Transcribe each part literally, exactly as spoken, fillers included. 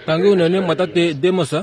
Tangi unene mwatate Demos.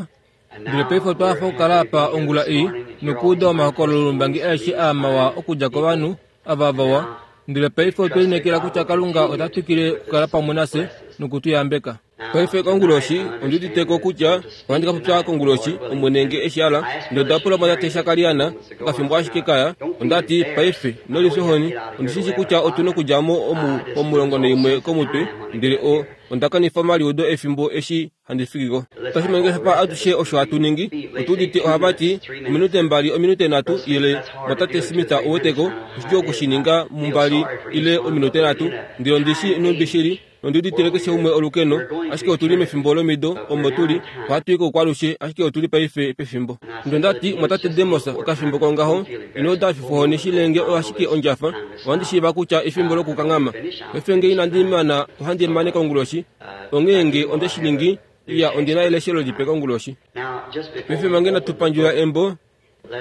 Ndele paife otwa hafa okukala apa ongula ei nokuuda omahokololombangi aeshe aa mawa okudja kovanhu ava vawa. Ndele paife otwe lineekela kutya Kalunga ota twikile okukala pamwe nafye noku tu yambeka. Paife konguloshi ondi uditeko kutya ohandi ka popya konguloshi, Omwene nge eshi hala. Ndele onda pula mwatate Shakariana okafimbo ashike kaya. Onda ti, paife, ino lifya ohoni, ondi shi shii kutya otu nokudja mo omu pomulongo naimwe komutwe, ndele o, onda kanifa omaliudo efimbo eshi handi fiki ko. Otashi monika shafa atushe osho hatu ningi. Otu udite ohava ti, ominute mbali, ominute nhatu, ile mwatate Smith ouweteko, oshidjuu oku shi ninga mumbali ile ominute nhatu. Ndele ondi shi nhumbi shili, nondi uditile keshe umwe olukeno, ashike otu li mefimbo lomido omo tu li, ohatu i koukwalushe, ashike otu li paife pefimbo. Ndele onda ti, mwatate Demos, okafimbo kongaho, ino uda efifohoni shilenge ashike ondjafa, ohandi shiiva kutya efimbo lokukanghama. Paife nge inandi mana ohandi mane konguloshi, onghee nge onde shi ningi, iya ondi na eleshelo lipe konguloshi. Paife mange natu pandjula embo,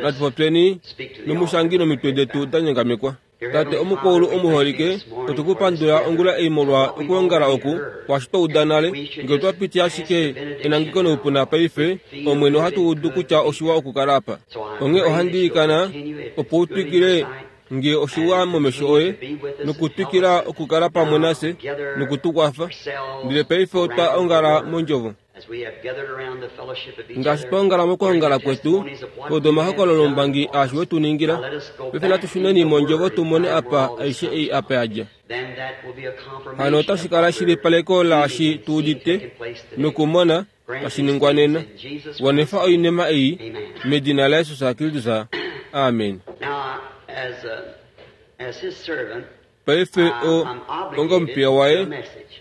natu popyeni nomushangi nomitwe detu da nyongamekwa. Tate omukoulu omuholike, otu ku pandula ongula ei molwa okwoongala oku, kwaashi twa uda nale. Nge otwa piti ashike enangeko noupuna paife, Omwene, ohatu udu kutya oshiwa okukala apa. Onghee ohandi ilikana opo u twikile nge oshiwa momesho oye, nokutwikila okukala pamwe nafye noku tu kwafa. Ndele paife otwa ongala mondjovo. Ngaashi twa ongala mokwoongala kwetu, twa omahokololombangi aashi we tu ningila. Paife natu shuneni mondjovo tu mone apa aishe ei apa ya dja. Hano otashi kala eshilipaleko laashi tu udite nokumona tashi ningwa nena. Wanifa oinima ei medina laJesus Kristus. Amen. Paife o, onga omupiya waye,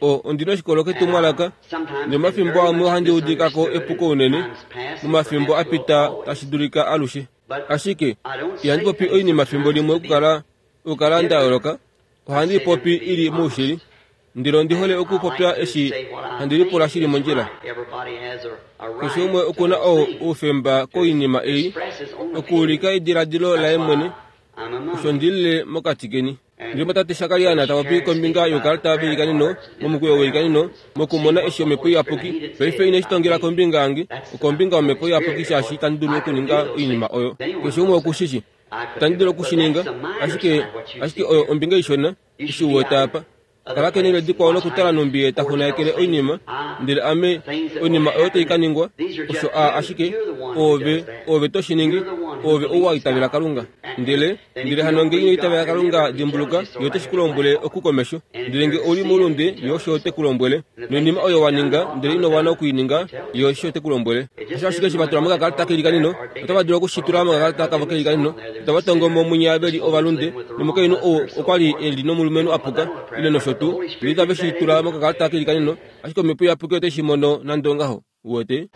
o, ondi na oshikolo ketumwalaka, nomafimbo amwe ohandi udika ko epuko unene, momafimbo a pita tashi dulika alushe. Ashike, ihandi popi oinima fimbo limwe okukala, okukala nda yooloka, ohandi popi i li moushili. Ndele ondi hole okupopya eshi handi lipula shili mondjila. Keshe umwe oku na oufemba koinima ei, okuulika ediladilo laye mwene, osho ndi lile mokati keni. Ndele tate Shakariana ta popi kombinga youkalata veilikaneno, momukweyo weilikaneno, mokumona eshi Omhepo Iyapuki. Paife ine shi tongela kombinga yange, okombinga yOmhepo Iyapuki shaashi itandi dulu okuninga oinima oyo. Keshe umwe oku shi shi. Itandi dulu oku shi ninga, ashike, ashike oyo ombinga ishona, eshi u wete apa. Kala kenele dikwao nokutala nhumbi ye ta xunaekele oinima, ndele ame, oinima oyo tai ka ningwa, osho a ashike, oove, oove to shi ningi, oove ou wa itavela Kalunga. Ndele, ndele hano nge ino itavela Kalunga, dimbuluka, ye ote shi ku lombwele oku komesho. Ndele nge ou li moulunde, ye osho te ku lombwele. Noinima oyo wa ninga, ndele ino wana oku i ninga, ye osho te ku lombwele. Osho ashike eshi va tula mokakalata keilikaneno, otava dulu oku shi tula mokakalata kavo keilikaneno, otava tongo mo munya ve li ovalunde, nomukainhu ou okwa li e li nomulumenhu a puka, ile nosho tuu, ndele itave shi tula mokakalata keilikaneno, ashike Omhepo Iyapuki ote shi mono nande ongaho. Uwete?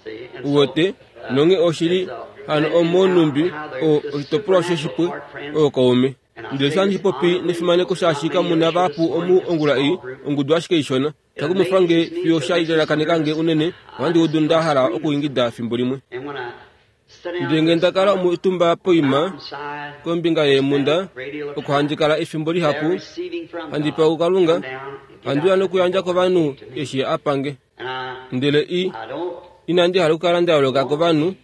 Uwete? Nonghee oshili hano omonhumbi o oshitopolwa sheshipwe ookaume. Ndele eshi handi popi nefimaneko shaashi kamu na vahapu omu ongula ei, ongudu ashike ishona. Sha kumwifa nge fiyo sha lalakaneka nge unene, ohandi udu nda hala okuingida fimbo limwe. Ndele nge nda kala omutumba poima kombinga yeemhunda, oko handi kala efimbo lihapu, handi pewa kuKalunga, handi uya nokuyandja kovanhu eshi a pa nge. Ndele i, inandi hala okukala nda yooloka kovanhu,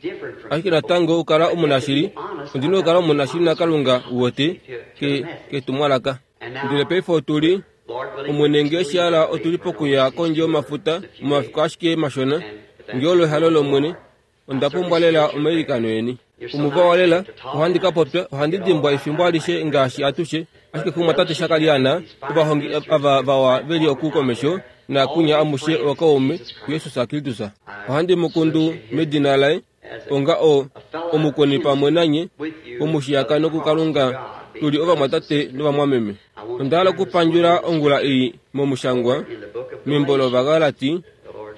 ashike natango okukala omunashili, ondi na okukala omunashili naKalunga, uwete, ke, ketumwalaka. Ndele paife otu li, Omwene nge eshi hala otu li pokuya kondje yomafuta momafiku ashike mashona, nge olo ehalo lOmwene, onda pumbwa lela omailikano eni. Omuvawa lela, ohandi ka popya, ohandi dimbwa efimbo alishe ngaashi atushe, ashike kumwatate Shakariana, ovahongi ava vawa ve li oku komesho, naakunya amushe ookaume kuJesus Kristus. Ohandi mu kundu medina laye, onga o, omukweni pamwe nanye, pomushiyakano kuKalunga, tu li ovamwatate novamwameme. Onda hala okupandjula ongula ei momushangwa, membo lOvagalati,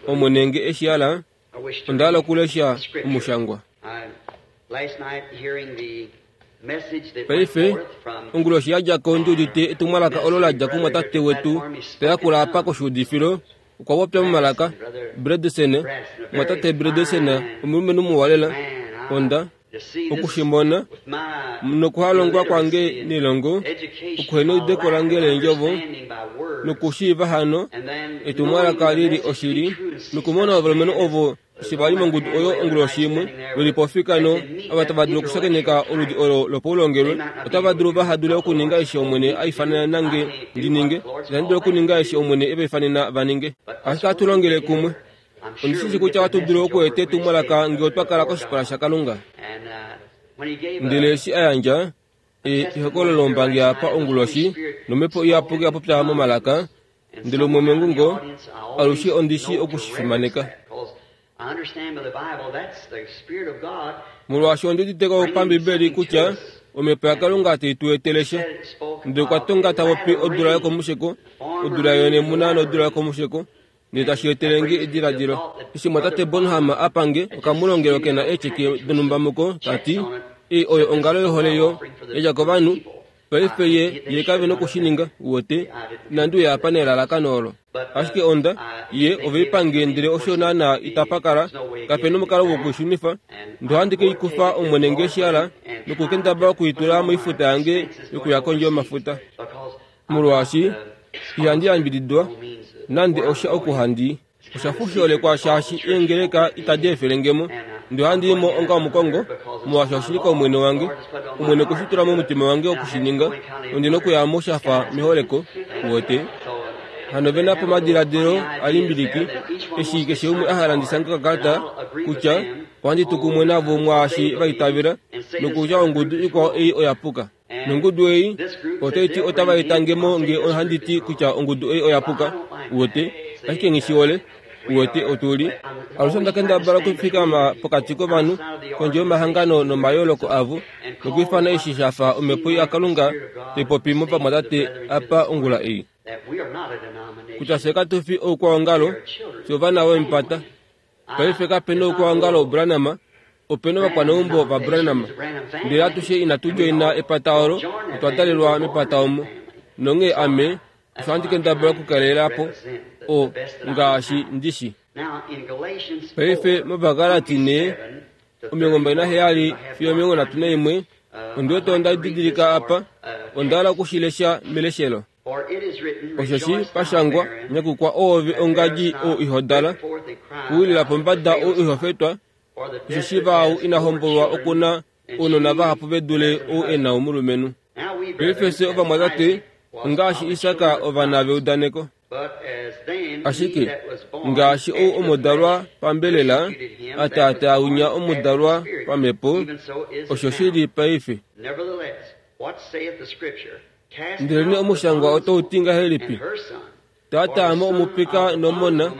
Omwene nge eshi hala, onda hala okulesha omushangwa. Paife, onguloshi ya dja ko ndi udite etumwalaka olo la dja kumwatate wetu ta yakula apa koshuudifilo, okwa popya momalaka, Bredesen, mwatate Bredesen, omulumenhu muwa lela. Onda oku shi mona, nokuhalongwa kwange nelongo, okuheneudeko lange leendjovo, Nokushiiva hano etumwalaka lili oshili, nokumona ovalumenhu ovo eshi va li mongudu oyo onguloshi imwe ve li pofika no ava tava dulu okushakeneka oludi olo lopaulongelwe, otava dulu vaha dule okuninga eshi Omwene a ifanena nange ndi ninge. Itandi dulu okuninga eshi Omwene e va ifanena va ninge. Ashike ohatu longele kumwe. Ondi shi kutya ohatu dulu okueta etumwalaka ngee otwa kala koshipala shaKalunga. Ndele eshi a yandja ehokololo lombangi apa onguloshi, nomhepo iyapuki ya popya momalaka, ndele umwe mengungo, alushe ondi shi okushifimaneka. Molwaashi ondi udite ko pambibeli kutya omhepo yaKalunga tai tu etele sha. Ndele okwa tonga ta popi odula yokomusheko, odula yonemuna nodula yokomusheko, ndele tashi etele nge ediladilo. Eshi mwatate Bonham a pange okamulongelo ke na eecheke donhumba muko, ta ti, ei oyo ongalo yohole yo yadja kovanhu, paife ye ye kave nokushininga, uwete, inandi uya apa nelalakano olo. Ashike onda, ye oveipange ndele osho naana itapa kala, kape nomukalo wokuishunifa, ndele ohandi ke i kufa Omwene nge shi hala, nokukendabala okuitula moifuta yange yokuya kondje yomafuta. Molwaashi ihandi yambididwa nande osha oku handi osha fusholekwa shaashi eengeleka itadi efele ngemo, ndele ohandi i mo onga omukongo, molwaashi oshili kOmwene wange. Omwene okwe shi tula momutima wange okushininga, nondi na okuya mo sha fa meholeko, uwete. Hano ve na pomadiladilo a limbiliki, eshi keshe umwe a hala ndi shange okakalata kutya ohandi tu kumwe navo mwaashi va itavela, nokutya ongudu ikwao ei oya puka. Nongudu ei otai ti otava eta nge mo nge ohandi ti kutya ongudu ei oya puka, uwete, ashike nghi shi hole, uwete otu li. Alushe onda kendabala okufikama pokati kovanhu, kondje yomahangano nomayooloko avo, nokwiifana eshi sha fa omhepo yaKalunga tai popi movamwatate apa ongula ei. Kutya fye katu fi oukwaongalo, fye ovana vomepata. Paife kape noukwaongalo Branham, ope novakwaneumbo vaBranham. Ndele atushe inatu djoina epata olo, otwa dalelwa mepata omo. Nonghee ame, osho handi kendabala okukalela po, o, ngaashi ndi shi. Paife mOvagalati ne, omilongo mbali naheyali fiyo omilongo nhatu naimwe, ondi wete onda didilika apa, onda hala okushilesha meleshelo. Osheshi pashangwa, nyakukwa oove ongadji ou iho dala, kuwilila pombada ou iho fetwa, osheshi vaau ina hombolwa okuna ounona vahapu ve dule ou e na omulumenhu. Paife fye ovamwatate, ongaashi Isak ovana veudaneko. Ashike ngaashi ou omudalwa pambelela a taataa winya omudalwa pamhepo, osho shi li paife. Ndelenee omushangwa otau ti ngahelipi? Taataa mo omupika nomona,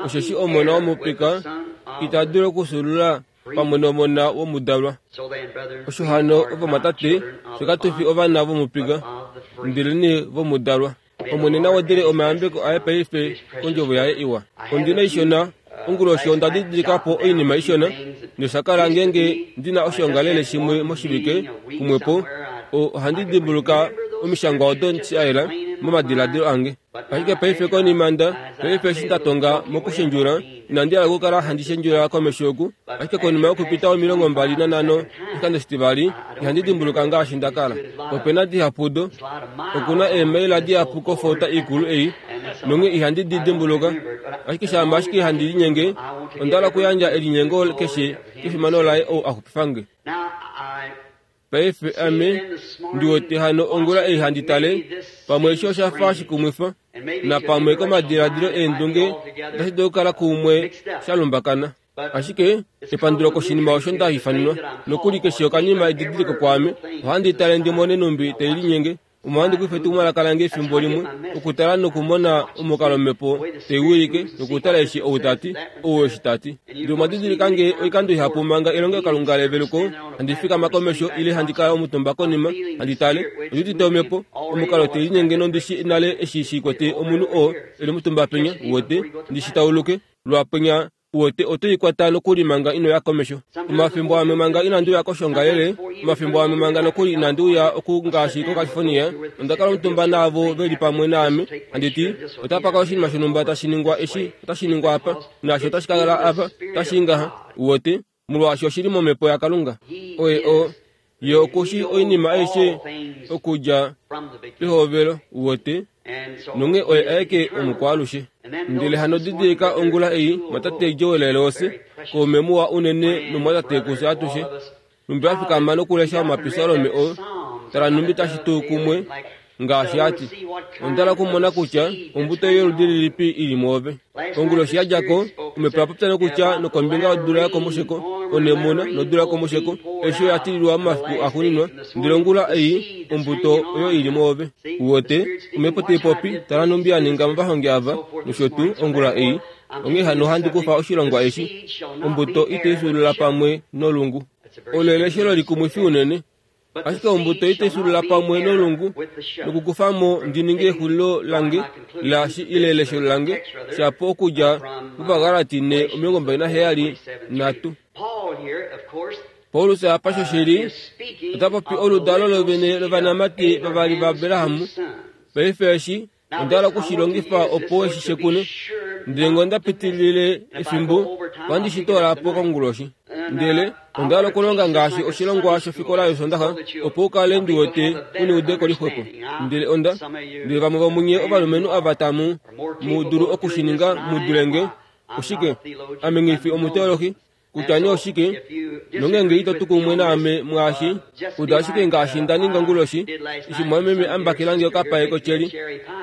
osheshi omona womupika ita dulu okufyuulula pamwe nomona womudalwa. Osho hano ovamwatate, fye katu fi ovana vomupika, ndelenee vomudalwa. Omwene na wedele omayambeko aye paife kondjovo yaye iwa. Ondi na ishona, onguloshi onda didilika po oinima ishona, nosha kala ngeenge ndi na oshoongalele shimwe moshivike kumwepo, ohandi dimbuluka omishangwa odo sha yela momadiladilo ange. Ashike paife konima nda, paife eshi nda tonga mokushendjula, inandi hala okukala handi shendjula komesho oku, ashike konima yokupita omilongo mbali nanhano oshikando shitivali, ihandi dimbuluka ngaashi nda kala. Ope na dihapu do, okuna eemaila dihapu kofota ikulu ei, nonghee ihandi di dimbuluka. Ashike shama ashike handi linyenge, onda hala okuyandja elinyengo keshe kefimano laye ou a xupifa nge. Paife ame ndi wete hano ongula ei handi tale, pamwe eshi osha fa shikumwifa, napamwe komadiladilo eendunge otashi dulu okukala kumwe sha lumbakana. Ashike epandulo koshinima osho nda ifanenwa, nokuli keshe okanima edidiliko kwaame, ohandi tale ndi mone numbi tai linyenge, omo handi kufa etumwalaka lange efimbo limwe, okutala nokumona omukalo omhepo tai wilike, nokutala eshi ou ta ti, ou eshi ta ti. Ndele omwa didilika nge oikando ihapu manga elongelokalunga leveluko, handi fikama komesho ile handi kala omutumba konima, handi tale, ondi udite omhepo, omukalo tai linyenge nondi shi nale eshi shi kwete omunhu oo e li omutumba penya, uwete, ndi shi tauluke, lwapenya uwete oto ikwata nokuli manga ino ya komesho. Omafimbo amwe manga inandi uya koshongalele, omafimbo amwe manga nokuli inandi uya oku ngaashi koCalifornia, onda kala omutumba naavo ve li pamwe naame, handi ti, otapa kala oshinima shonhumba tashi ningwa eshi, otashi ningwa apa, naasho otashi kala apa, otashi i ngaha, uwete, molwaashi oshi li momhepo yaKalunga. Oye o, Ye okushi oinima aishe okudja pehovelo uwete nonge oye aeke omukwaalushe. Ndele hano didilika ongula ei mwatate Joel Rose kaume muwa unene nomwatate kufye atushe numbi afikama nokulesha omapisalome oo tala numbi tashi tuu kumwe ngaashi ati ondala okumona kutya ombuto yoludi lilipi ili mwoove. Onguloshi yadjako omhepo yapopya nokutya nokombinga yodula yokomusheko onemuna nodula yokomusheko eshi oya tililwa momafiku axuuninwa ndele ongula ei ombuto oyo ili mwoove. Uwete omhepo taipopi tala numbi ya ninga movahongi ava nosho tuu ongula ei. Onghee hano ohandi kufa oshilongwa eshi ombuto itaifyuulula pamwe nolungu. Olo eleshelo likumwifi unene. Ashike ombuto itaifyuulula pamwe nolungu nokukufamo ndi ninge exulilo lange laashi ile eleshelo lange shapo okudja muVagalati ne omilongo mbali naheyali nhatu. Paulus apa shoshili ota popi oludalo lovene lovanamati vavali vaAbrahamu. Paife eshi onda hala okushilongifa opo eshi shekune ndele ngee onda pitilile efimbo ohandi shi toola po konguloshi. Ndele onda hala okulonga ngaashi oshilongwa shofikola yOsoondaxa opo u kale ndi wete u neudeko lixwepo. Ndele onda ndele vamwe vomunye ovalumenhu ava tamu mu dulu okushininga mu dule nge oshike ame nghifi omuteolohi kutya nee oshike nongeenge ito tu kumwe naame mwaashi uda ashike ngaashi nda ninga onguloshi eshi mwameme ambakelange okapae kotyeli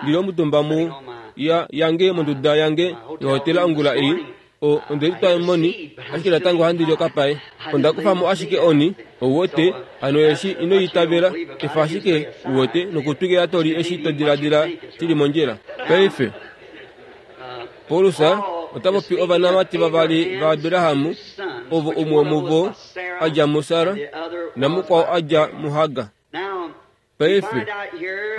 ndili omutumba mu ya yange monduda yange yohotela ongula ei o onde litwa moni ashike natango ohandi li okapae. Onda kufamo ashike oni ouwete hano eshi ino itavela efa ashike uwete nokutwikila toli eshi to diladila shili mondjila. Paife Paulus ota popi ovanamati vavali vaAbrahamu ovo umwe womuvo adja muSara namukwao adja muHagar. Paife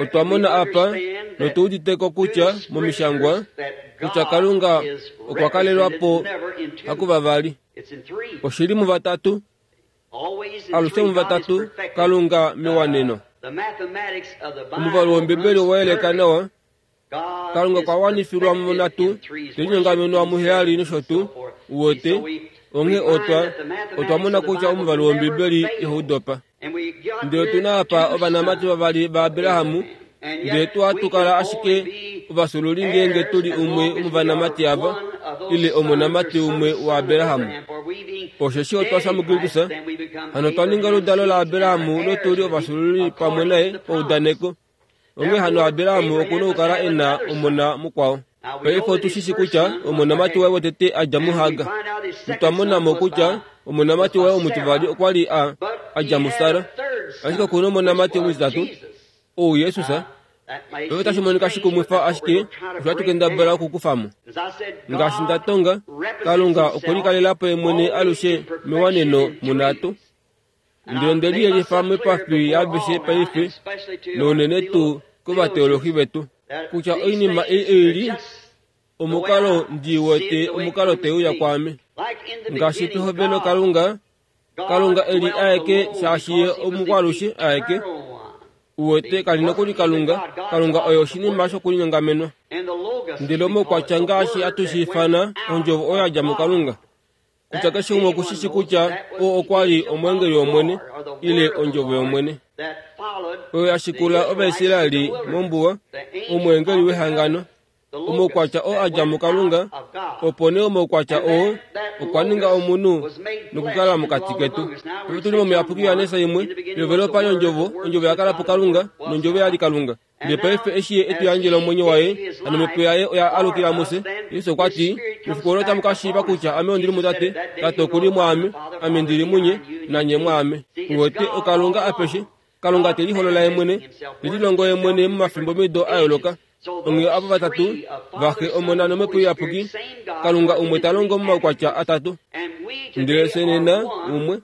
otwa mona apa notu uditeko kutya momishangwa kutya Kalunga okwa kalelwa po hakuvavali. Oshili muvatatu alushe muvatatu Kalunga mewaneno. Omuvalu wOmbibeli owa yeleka nawa. Kalunga okwa wanifilwa munhatu telinyongamenwa muheyali nosho tuu uwete onghee otwa otwa mona kutya omuvalu wOmbibeli ihau dopa. Ndele otuna apa ovanamati vavali vaAbrahamu ndele tuhatu kala ashike ovafyuululi ngeenge tuli umwe womovanamati ava ile omonamati umwe waAbrahamu. Osheshi otwa fya muKristus hano otwa ninga oludalo laAbrahamu notuli ovafyuululi pamwe naye paudaneko. Onghee hano Abrahamu okuna okukala e na omona mukwao. Paife otu shi shi kutya omonamati waye wotete adja muHagar. Notwa mona mo kutya omonamati waye omutivali okwa li a adja muSara. Ashike okuna omonamati omutitatu ou Jesus. Paife otashi monika shikumwifa ashike osho hatu kendabala okukufamo. Ngaashi nda tonga, Kalunga okwe likalela po ye mwene alushe mewaneno munhatu. Ndele onde liyelifa moipafi yaaveshe paife nounene tuu kovateolohi vetu kutya oinima ei oili omukalo ndi wete omukalo teuya kwaame. Ngaashi pehovelo Kalunga Kalunga eli aeke shaashi ye omukwalushe aeke uwete kali nokuli Kalunga. Kalunga oye oshinima shokulinyongamenwa. Ndele omaukwatya ngaashi hatu shi ifana ondjovo oyo yadja muKalunga kutya keshe umwe okushishi kutya oo okwa li omweengeli wOmwene ile ondjovo yOmwene oyo ya shikula Ovaisraeli mombuwa omweengeli wehangano omaukwatya oo adja muKalunga opo nee omaukwatya oo okwa ninga omunhu nokukala mokati ketu. Paife tuli momuyapuki Johannes imwe pehovelo opa li ondjovo, ondjovo ya kala puKalunga nondjovo ya li Kalunga. Ndele paife eshi ye e tu yandjela omwenyo waye hano omhepo yaye oya alukila mufye. Jesus okwa ti mefiku olo otamu ka shiiva kutya ame ondili muTate, Tate okuli mwaame, ame ndili munye nanye mwaame. Uwete oKalunga apeshe Kalunga te liholola ye mwene te lilongo ye mwene momafimbo mido a yooloka. Onghee ava vatatu vaxe Omona nOmhepo Iyapuki Kalunga umwe ta longo momaukwatya atatu. Ndele fye nena umwe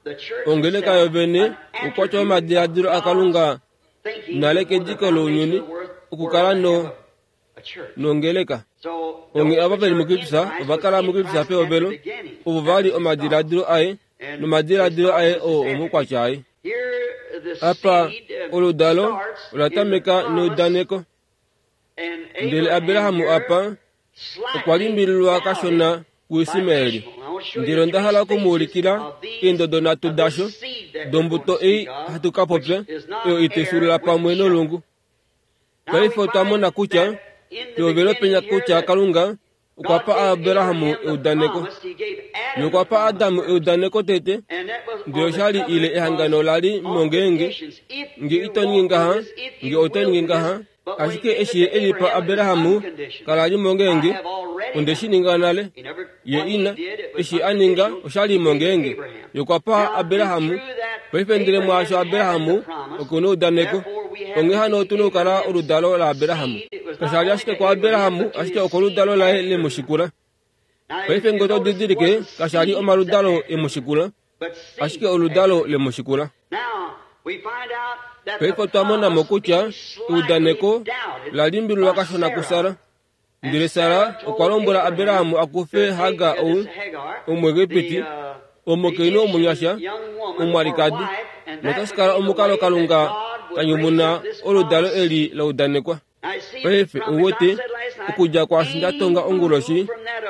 ongeleka yovene oukwatya womadiladilo aKalunga nale kediko lounyuni okukala no nongeleka. Onghee ava veli muKristus ova kala muKristus pehovelo ovo vali omadiladilo aye nomadiladilo aye oo omaukwatya aye. Apa oludalo ola tameka neudaneko. Ndele Abrahamu apa okwa limbililwa kashona kuIsmaeli. Ndele onda hala okumuulikila eendodo nhatu dasho dombuto ei hatu ka popya oyo itaifyuulula pamwe nolungu. Paife otwa mona kutya pehovelo penya kutya Kalunga okwa pa Abrahamu eudaneko. Ye okwa pa Adamu eudaneko tete, ndele oshali ile ehangano lali mongeenge nge ito ningi ngaha, nge oto ningi ngaha. Ashike eshi ye e li pa Abrahamu kala li mongeenge, onde shi ninga nale. Ye ina, eshi a ninga oshali mongeenge. Ye okwa pa Abrahamu. Paife ndele mwaasho Abrahamu okuna eudaneko. Onghee hano otu na okukala oludalo laAbrahamu. Kasha li ashike kuAbrahamu, ashike okoludalo laye le mu shikula. Paife ngee oto didilike, kasha li omaludalo e mu shikula, ashike oludalo le mu shikula. Paife otwa mona mo kutya eudaneko la limbililwa kashona kuSara. Ndele Sara okwa lombwela Abrahamu a kufe Hagar ou Omuegipiti, omukainhu omunyasha, omwalikadi, notashi kala omukalo Kalunga ta nyumuna oludalo eli la udanekwa. Paife ouwete, okudja kwaashi nda tonga onguloshi,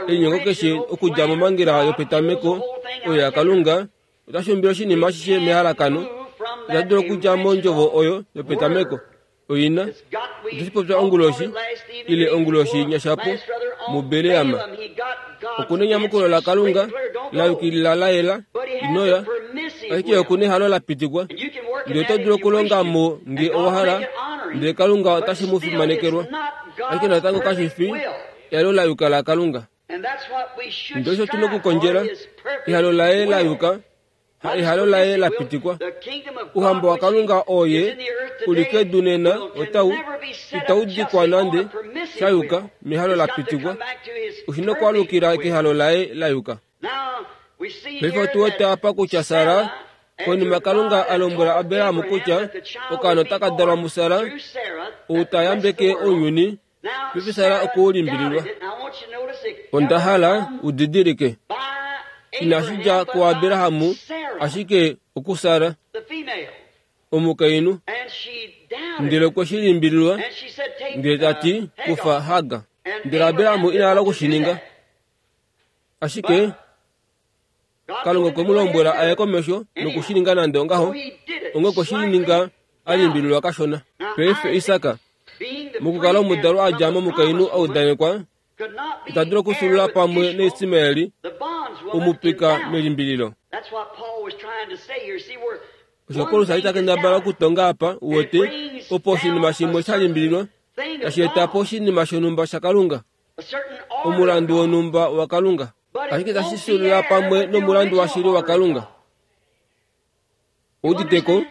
elinyengo keshe okudja momangela yopetameko oyo yaKalunga otashi umbile oshinima ashishe mehalakano. Ota dulu okudja mondjovo oyo yopetameko. Oina, otashi popya onguloshi, ile onguloshi nyashapo, muBeleama. Okuna enyamukulo laKalunga la yukilila la yela, inoya, ashike okuna ehalo la pitikwa. Ndele oto dulu okulonga mo nge owa hala, ndele Kalunga otashi mu fimanekelwa. Ashike natango kashi fi ehalo la yuka laKalunga. Ndele osho tu na okukondjela, ehalo laye la yuka, ha ehalo laye la pitikwa. Ouhamba waKalunga oye u li kedu nena otau itau dikwa nande sha yuka mehalo la pitikwa. Oshi na okwaalukila kehalo laye la yuka. Paife otu wete apa kutya Sara, konima Kalunga a lombwela Abrahamu kutya okaana otaka dalwa muSara, ou ta yambeke ounyuni, paife Sara okwe u limbililwa. Onda hala u didilike, inashi dja kuAbrahamu, ashike okuSara, omukainhu. Ndele okwe shi limbililwa, ndele ta ti, kufa Hagar. Ndele Abrahamu ina hala oku shi ninga. Ashike Kalunga okwe mu lombwela aye komesho noku shi ninga nande ongaho, onghee okwe shi ninga a limbililwa kashona. Paife Isak, mokukala omudalwa a dja momukainhu a udanekwa, ita dulu okufyuulula pamwe naIsmaeli, omupika melimbililo. Osho Paulus a li ta kendabala okutonga apa, uwete, opo oshinima shimwe sha limbililwa, tashi eta po oshinima shonhumba shaKalunga, omulandu wonhumba waKalunga, ashike tashi fyuulula pamwe nomulandu washili waKalunga. Ouditeko,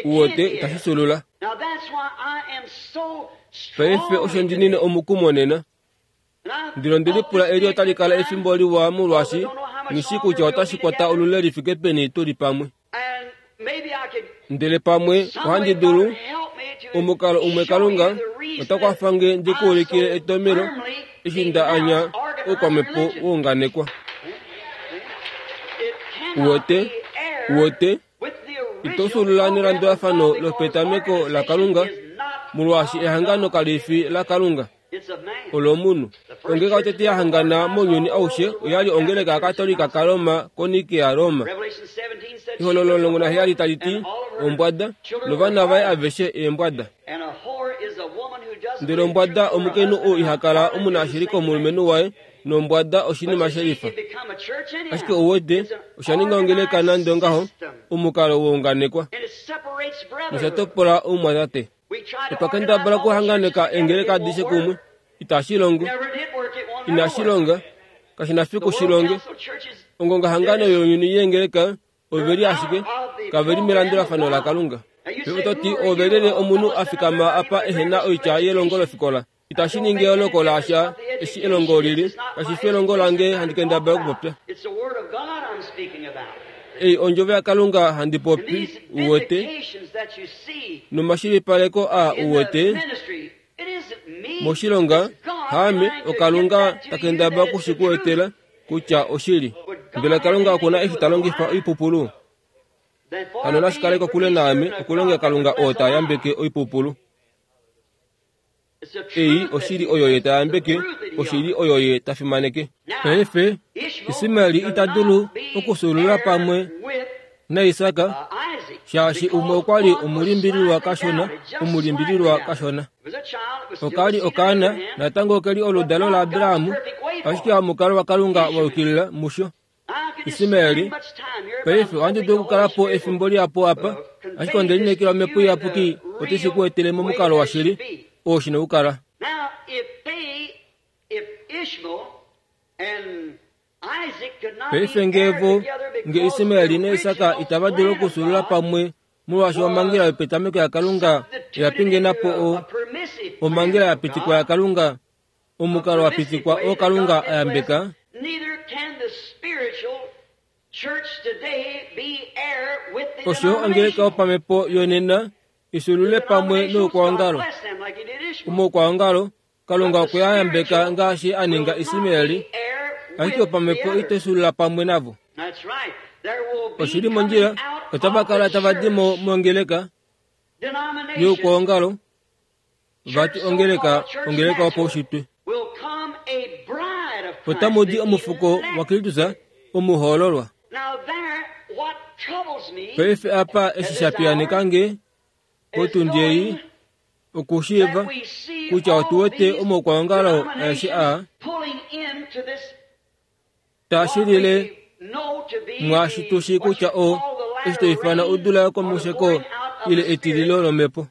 uwete, itashi fyuulula. Paife osho ndi nine omukumo nena. Ndele onde lipula eli otali kala efimbo liwa molwaashi nghi kutya otashi kwata olule li fike peni tu li pamwe. Ndele pamwe ohandi dulu, omukalo umwe Kalunga ota kwafa nge ndi ku ulikile etomhelo eshi nda anya oukwamhepo wa unganekwa. Uwete, uwete, ito fyuulula nelandulafano lopetameko laKalunga, molwaashi ehangano kali fi laKalunga, olomunhu. Ongeleka yotete ya hangana mounyuni aushe oya li ongeleka yaKatolika kaRoma koNikea Roma. Ehololo omulongo naheyali tali ti ombwada, novana vaye aveshe eembwada. Ndele ombwada omukainhu ou iha kala omunashili komulumenhu waye, nombwada oshinima shelifa. Ashike ouwete, osha ninga ongeleka nande ongaho, omukalo wa unganekwa, nosha topola oumwatate. Otwa kendabala okuhanganeka eengeleka adishe kumwe, itashi longo, inashi longa, kashi na fiku shi longe. Ongongahangano younyuni yeengeleka ove li ashike, kave li melandulafano laKalunga. Paife oto ti ove lyelye omunhu a fikama apa ehe na oitya yelongo lofikola. Itashi ningi eyooloko lasha eshi elongo lili, kashi fi elongo lange handi kendabala okupopya. Ei ondjovo yaKalunga handi popi, uwete, nomashilipaleko a uwete, moshilonga, haame oKalunga ta kendabala oku shi ku etela kutya oshili. Mbela Kalunga okuna eshi ta longifa oipupulu? Hano nashi kale kokule naame okulongela Kalunga oo ta yambeke oipupulu. Ei oshili oyo ye ta yambeke, oshili oyo ye ta fimaneke. Paife, Ismaeli ita dulu okufyuulula pamwe naIsak, shaashi umwe okwa li omulimbililwa kashona, omulimbililwa kashona. Oka li okaana, natango oke li oludalo laAbraham, ashike omukalo waKalunga wa yukilila musho. Ismaeli, paife ohandi dulu okukala po efimbo lihapu apa, ashike onde lineekela Omhepo Iyapuki otashi ku etele momukalo washili oo shi na okukala. Paife ngee vo, nge Ismaeli naIsak itava dulu okuxuulula pamwe molwaashi omhangela yopetameko yaKalunga oya pingena po o omhangela ya pitikwa yaKalunga, omukalo wa pitikwa oo Kalunga a yambeka, osho yo ongeleka yopamhepo yonena ixuulule pamwe noukwaongalo. Omoukwaongalo, Kalunga okwe a yambeka ngaashi a ninga Ismaeli, ashike opamhepo ito xuulula pamwe navo. Oshili mondjila, otava kala tava di mo mongeleka youkwaongalo, vati ongeleka, ongeleka yopaushitwe. Otamu di omufuko waKristus omuhoololwa. Paife apa eshi sha piyaaneka nge potundi ei, okushiiva kutya otu wete omaukwaongalo aeshe aa taashilile mwaashi tu shii kutya o eshi to ifana odula yokomusheko ile etililo lomhepo.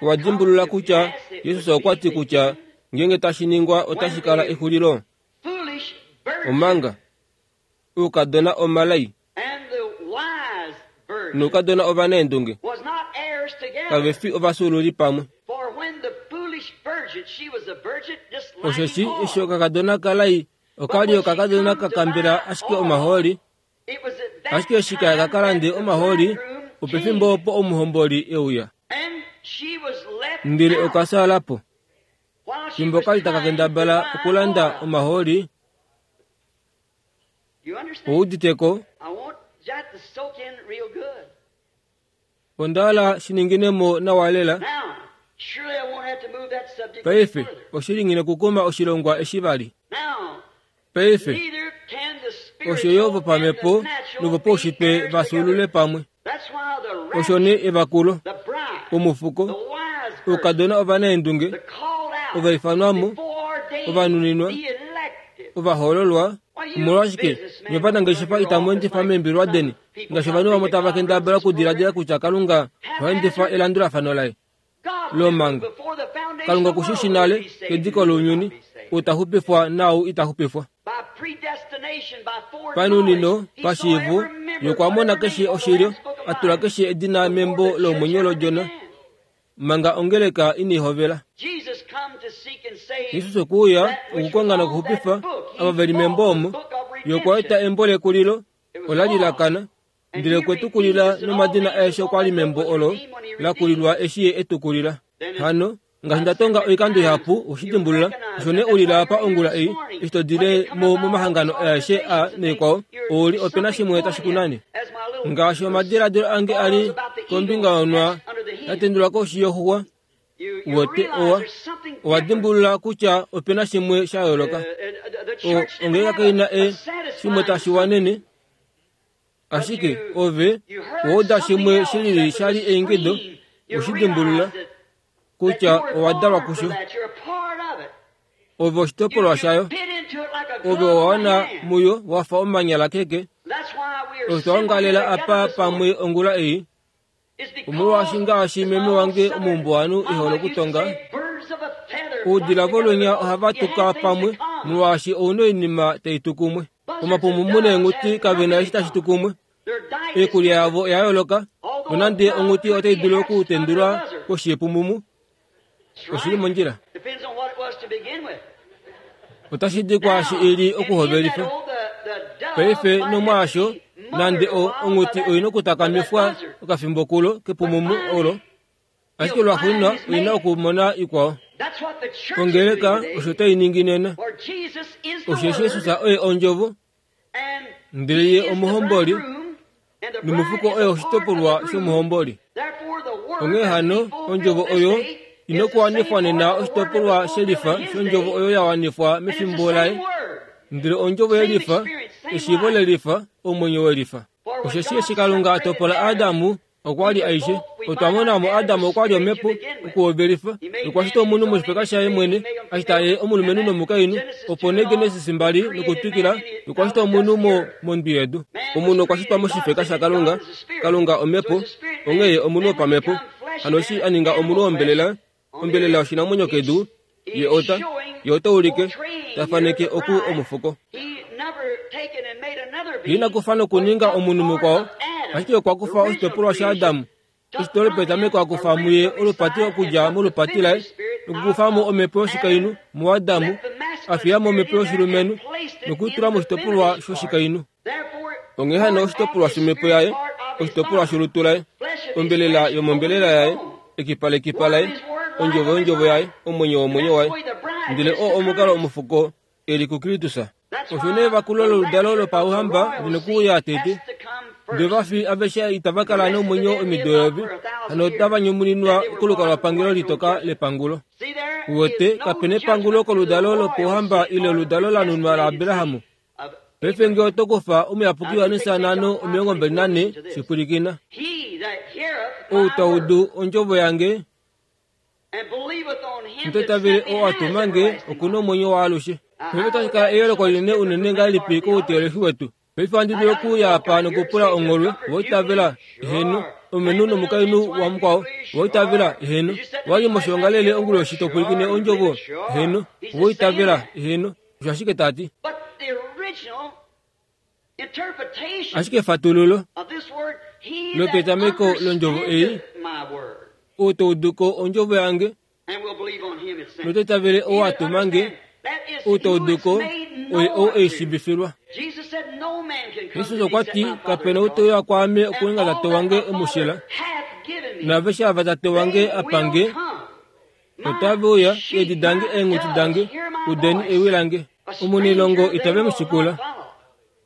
Owa dimbulula kutya Jesus okwa ti kutya ngeenge tashi ningwa otashi kala exulilo. Omanga oukadona omalai noukadona ovanaendunge kave fi ovafyuululi pamwe. Osheshi eshi okakadona kalai oka li okakadona ka kambela ashike omahooli, ashike eshi kaya ka kalande omahooli, opefimbo opo omuhomboli e uya. Ndele oka fyaala po. Fimbo kali taka kendabala okulanda omahooli, ouditeko, onda hala shininginemo nawa lela. Paife oshili nghi nokukuma oshilongwa eshi vali. Paife osho yo vopamhepo novopaushitwe vafyuulule pamwe. Osho nee evakulo, omufuko, oukadona ovanaendunge, ovaifanwamo, ovanuninwa, ovahoololwa. Omolwashike nyovanangeshefa itamu endifa meembilwa deni ngaashi ovanhu vamwe tava kendabala okudiladila kutya Kalunga oha endifa elandulafano laye lomhango. Kalunga oku shi shi nale kediko lounyuni, ou ta xupifwa naau ita xupifwa. Panunino, pashiivo, ye okwa mona keshe oshilyo, a tula keshe edina membo lomwenyo lOdjona, manga ongeleka inai hovela. Jesus okwe uya okukonga nokuxupifa ava ve li membo omo. Ye okwa eta embo lekulilo, ola li la kana, ndele okwe tu kulila nomadina aeshe okwa li membo olo la kulilwa eshi ye e tu kulila. Hano, ngaashi nda tonga oikando ihapu, oshi dimbulula, osho nee ulila apa ongula ei, eshi to dile mo momahangano aeshe a naikwao, ouli ope na shimwe tashi ku nane. Ngaashi omadiladilo ange a li kombinga yonwa ya tendulwa koshi yoxuwa, wete owa, owa dimbulula kutya ope na shimwe sha yooloka. O, ongeleka kai na e shimwe tashi wanene, ashike ove owa uda shimwe shilili sha li eingido, oshi dimbulula kutya owa dalwa kusho. Ove oshitopolwa shayo, ove owa wana muyo wa fa omanyala keke. Otwa ongalela apa pamwe ongula ei, omolwaashi ngaashi meme wange omuumbuwanhu e hole okutonga, oudila volunya ohava tuka pamwe molwaashi ouna oinima tai tu kumwe. Omapumumu neenghuti kave na eshi tashi tu kumwe. Oikulya yavo oya yooloka, nonande onghuti otai dulu okutendulwa koshi yepumumu. Oshili mondjila. Otashi di kwaashi i li okuhovelifa. Paife nomwaasho, nande o onghuti oi na okutakamifwa okafimbo kulo kepumumu olo, ashike lwaxuuninwa oi na okumona ikwao. Ongeleka osho tai ningi nena. Osheshi Jesus oye ondjovo, ndele ye omuhomboli, nomufuko oye oshitopolwa shomuhomboli. Onghee hano, ondjovo oyo ina okuwanifwa nena oshitopolwa shelifa shondjovo oyo ya wanifwa mefimbo laye. Ndele ondjovo yelifa, Eshiivo lelifa, omwenyo welifa. Osheshi eshi Kalunga a topola Adamu, okwa li aishe. Otwa mona mo Adamu okwa li omhepo okuhovelifa, nokwa shita omunhu moshifeka shaye mwene, a shita ye omulumenhu nomukainhu. Opo nee Genesis mbali nokutwikila, nokwa shita omunhu mo mondwi yedu. Omunhu okwa shitwa moshifeka shaKalunga, Kalunga omhepo, onghee omunhu wopamhepo. Hano eshi a ninga omunhu wombelela, ombelela oshinamwenyo kedu, ye ota, ye ota ulike, ta faneke oku omufuko. Ye ina kufa nokuninga omunhu mukwao, ashike okwa kufa oshitopolwa shaAdamu. Eshito lopetameko a kufa muye olupati okudja molupati laye, nokukufa mo omhepo yoshikainhu muAdamu, a fiya mo omhepo yoshilumenhu, nokutula moshitopolwa shoshikainhu. Onghee hano oshitopolwa shomhepo yaye, oshitopolwa sholutu laye, ombelela yomombelela yaye, ekipa lekipa laye, ondjovo yondjovo yaye, omwenyo womwenyo waye. Ndele oo omukalo omufuko e li kuKristus. Osho nee vakulo loludalo lopauhamba linokuuya tete. Ndele vafi aveshe itava kala nomwenyo omido eyovi, hano otava nyumuninwa kolukalwapangelo litoka lepangulo. Uwete, kapena epangulo koludalo lopauhamba ile oludalo la nunwa laAbrahamu. Paife ngee oto kufa omuyapuki Johannes nhano omilongo mbali nane, shipwilikina. Ou ta udu ondjovo yange, nototavele oo a tuma nge, oku na omwenyo waalushe. Paife otashi kala eyooloko linene unene ngahelipi kouteolohi wetu. Paife ohandi dulu okuuya apa nokupula ongholwe, owaitavela, eheno, omulumenhu nomukainhu wamukwao, owaitavela, eheno, owali moshiongalele onguloshi to pwilikine ondjovo, eheno, owaitavela, eheno, osho ashike ta ti. Ashike efatululo lopetameko londjovo ei, ou to udu ko ondjovo yange, nototavele ou a tuma nge, ou to udu ko, oye ou ei shiivifilwa. Jesus okwa ti, kapena ou te uya kwaame okuninga tate wange emushila, naaveshe ava tate wange apa nge, otave uya, eedi dange eenghuti dange, udeni ewi lange. Omunilongo itave mu shikula.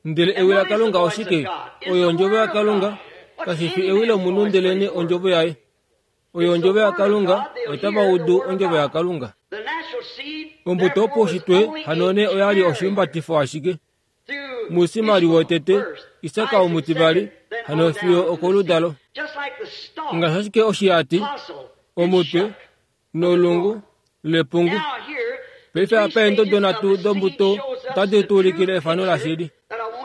Ndele ewi laKalunga oshike? Oyo ondjovo yaKalunga, kashi fi ewi lomunhu ndelene ondjovo yaye. Oyo ondjovo yaKalunga, otava udu ondjovo yaKalunga. Ombuto yopaushitwe hano nee oya li oshihumbatifo ashike. Muismael wotete, Isak omutivali, hano fiyo okoludalo. Ngaashi ashike oshihati, omutwe, nolungu, lepungu. Paife apa eendodo nhatu dombuto otadi tu ulikile efano lashili.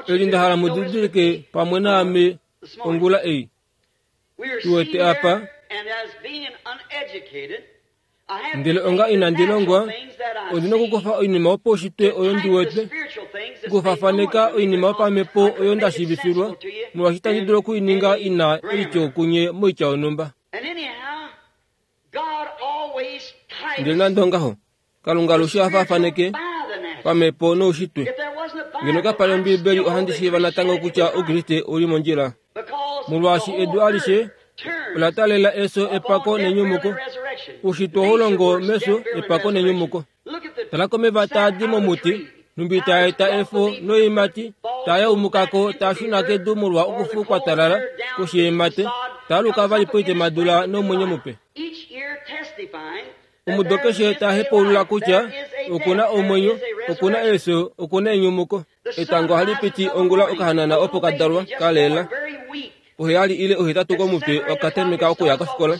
Eli nda hala mu didilike pamwe naame ongula ei. Tuwete apa, ndele onga inandi longwa, ondi na okukufa oinima yopaushitwe oyo ndi wete, okufafaneka oinima yopamhepo oyo nda shiivifilwa, molwaashi itandi dulu okuininga ina eityo kunye moitya yonhumba. Ndele nande ongaho, Kalunga alushe oha faafaneke pamhepo noushitwe. Ngeno kapa li Ombiibeli ohandi shiiva natango kutya Oukriste ouli mondjila. Molwaashi edu alishe ola taalela efyo, epako nenyumuko. Oushitwe ohau longo mefyo, epako nenyumuko. Tala komeva taa di momuti, nhumbi taa eta efo noiimati, taa yaumukako taa shuna kedu molwa okufu kwa talala koshiimate, taa luka vali poitemadula nomwenyo mupe. Omudo keshe ta hepaulula kutya okuna omwenyo, okuna efyo, okuna enyumuko. Etango ohali piti ongula okahanana opo ka dalwa ka lela. Oheyali ile ohetatu komutwe okatameka okuya kofikola.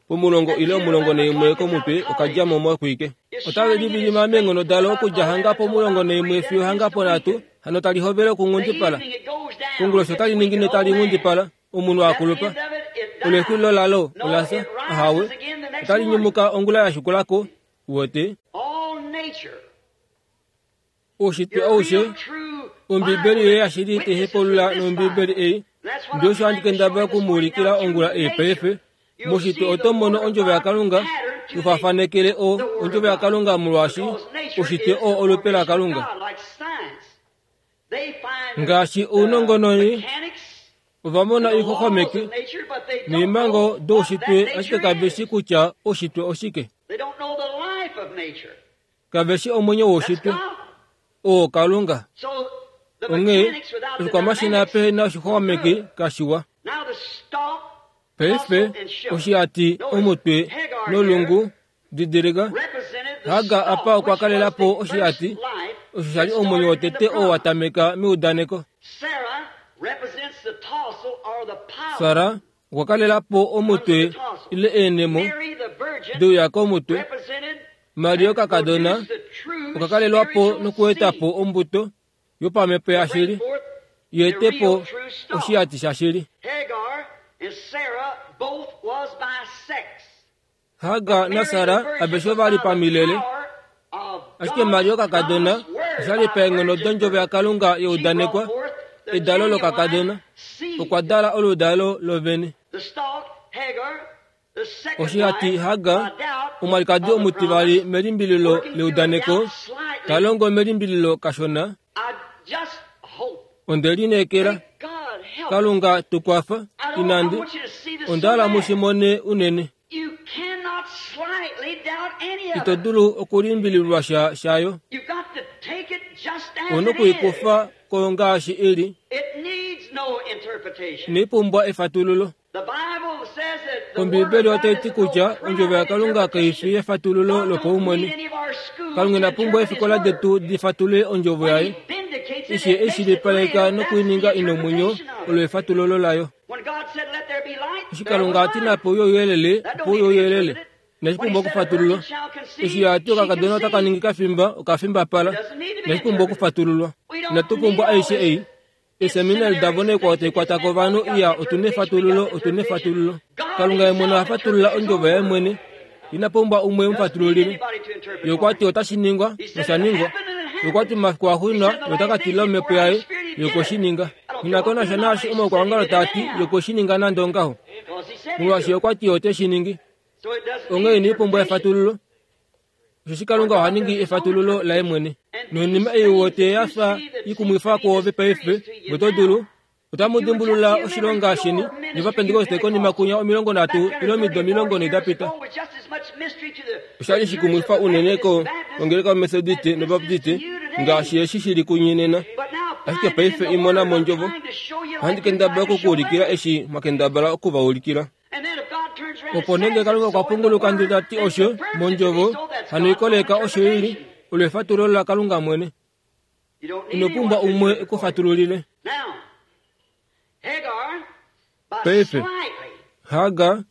Pomulongo ile omulongo naimwe komutwe okadja mo moxwike. Otave livilima meenghono dalo okudja hanga pomulongo naimwe fiyo hanga ponhatu, hano tali hovele okunghundipala. Konguloshi otali ningine tali nghundipala, omunhu a kulupa. Olexulilo lalo ola fya, ahawe, otali nyumuka ongula ya shikulako, uwete. Oushitwe aushe, Ombibeli yoye yashili tai hepaulula nOmbibeli ei, ndele osho handi kendabala okumuulikila ongula ei paife. Moshitwe oto mono ondjovo yaKalunga, tufafanekele o ondjovo yaKalunga molwaashi oushitwe oo olupe laKalunga. Ngaashi ounongononi, ova mona oixoxomeki noimhango doushitwe ashike kave shi kutya oushitwe oshike. Kave shi omwenyo woushitwe. Oo Kalunga. Onghee, oshikwamashina pehe na oshixoxomeki kashiwa. Paife, oshihati, omutwe, nolungu, didilika, Hagar apa okwa kalela po oshihati, Osho sha li omwenyo wotete oo wa tameka meudaneko. Sara okwa kalela po omutwe ile eenemo deuya komutwe. Maria kakadona okwa kalelwa po nokueta po ombuto yopamhepo yashili yeete po oshiyati shashili. Hagar naSara aveshe ova li pamilele, ashike Maria kakadona osha li paenghono dondjovo yaKalunga yeudanekwa. Edalo lokakadona okwa dala oludalo lovene. Oshihati Hagar, omwalikadi omutivali melimbililo leudaneko, ta longo melimbililo kashona. Onde lineekela Kalunga tukwafa inandi onda hala mu shi mone unene. Ito dulu okulimbililwa sha shayo. Ouna okuikufa ko ngaashi ili. Inai pumbwa efatululo. Ombiibeli otai ti kutya ondjovo yaKalunga kai fi efatululo lopaumwene. Kalunga ina pumbwa eefikola detu di fatulule ondjovo yaye. Eshi e shilipaleka nokuininga ina omwenyo olo efatululo layo. Eshi Kalunga a ti nape uye ouyelele, opo uye ouyelele. Inashi pumbwa okufatululwa. Eshi a ti okakadona otaka ningi kafimba, okafimbapala. Inashi pumbwa okufatululwa. Inatu pumbwa aishe ei. Eeseminari davo naikwao tai kwata ko ovanhu iya otuna efatululo, otuna efatululo. Kalunga ye mwene oha fatulula ondjovo yaye mwene. Ina pumbwa umwe emufatululile. Ye okwa ti otashi ningwa, nosha ningwa. Ye okwa ti momafiku axuuninwa ye ota ka tila omhepo yaye, ye okwe shi ninga. Ina konasha naashi omaukwaongalo taa ti, ye okwe shi ninga nande ongaho. Molwaashi ye okwa ti ote shi ningi. Onghee inai pumbwa efatululo. Osheshi Kalunga oha ningi efatululo laye mwene. Noinima ei wote ya fa ikumwifa kwoove paife, oto dulu. Otamu dimbulula oshilonga sheni novapentekoste konima kunya omilongo nhatu ile omido omilongo nhee da pita. Osha li shikumwifa unene ko kongeleka yoMethodiste noBaptiste ngaashi eshi shili kunye nena. Ashike paife imona mondjovo. Ohandi kendabala okukuulikila eshi mwa kendabala okuvaulikila. Opo nenge Kalunga okwa punguluka ndele ta ti osho mondjovo, hano ikoleka osho ili, olo efatululo laKalunga mwene. Ino pumbwa umwe ekufatululile. Paife, Hagar,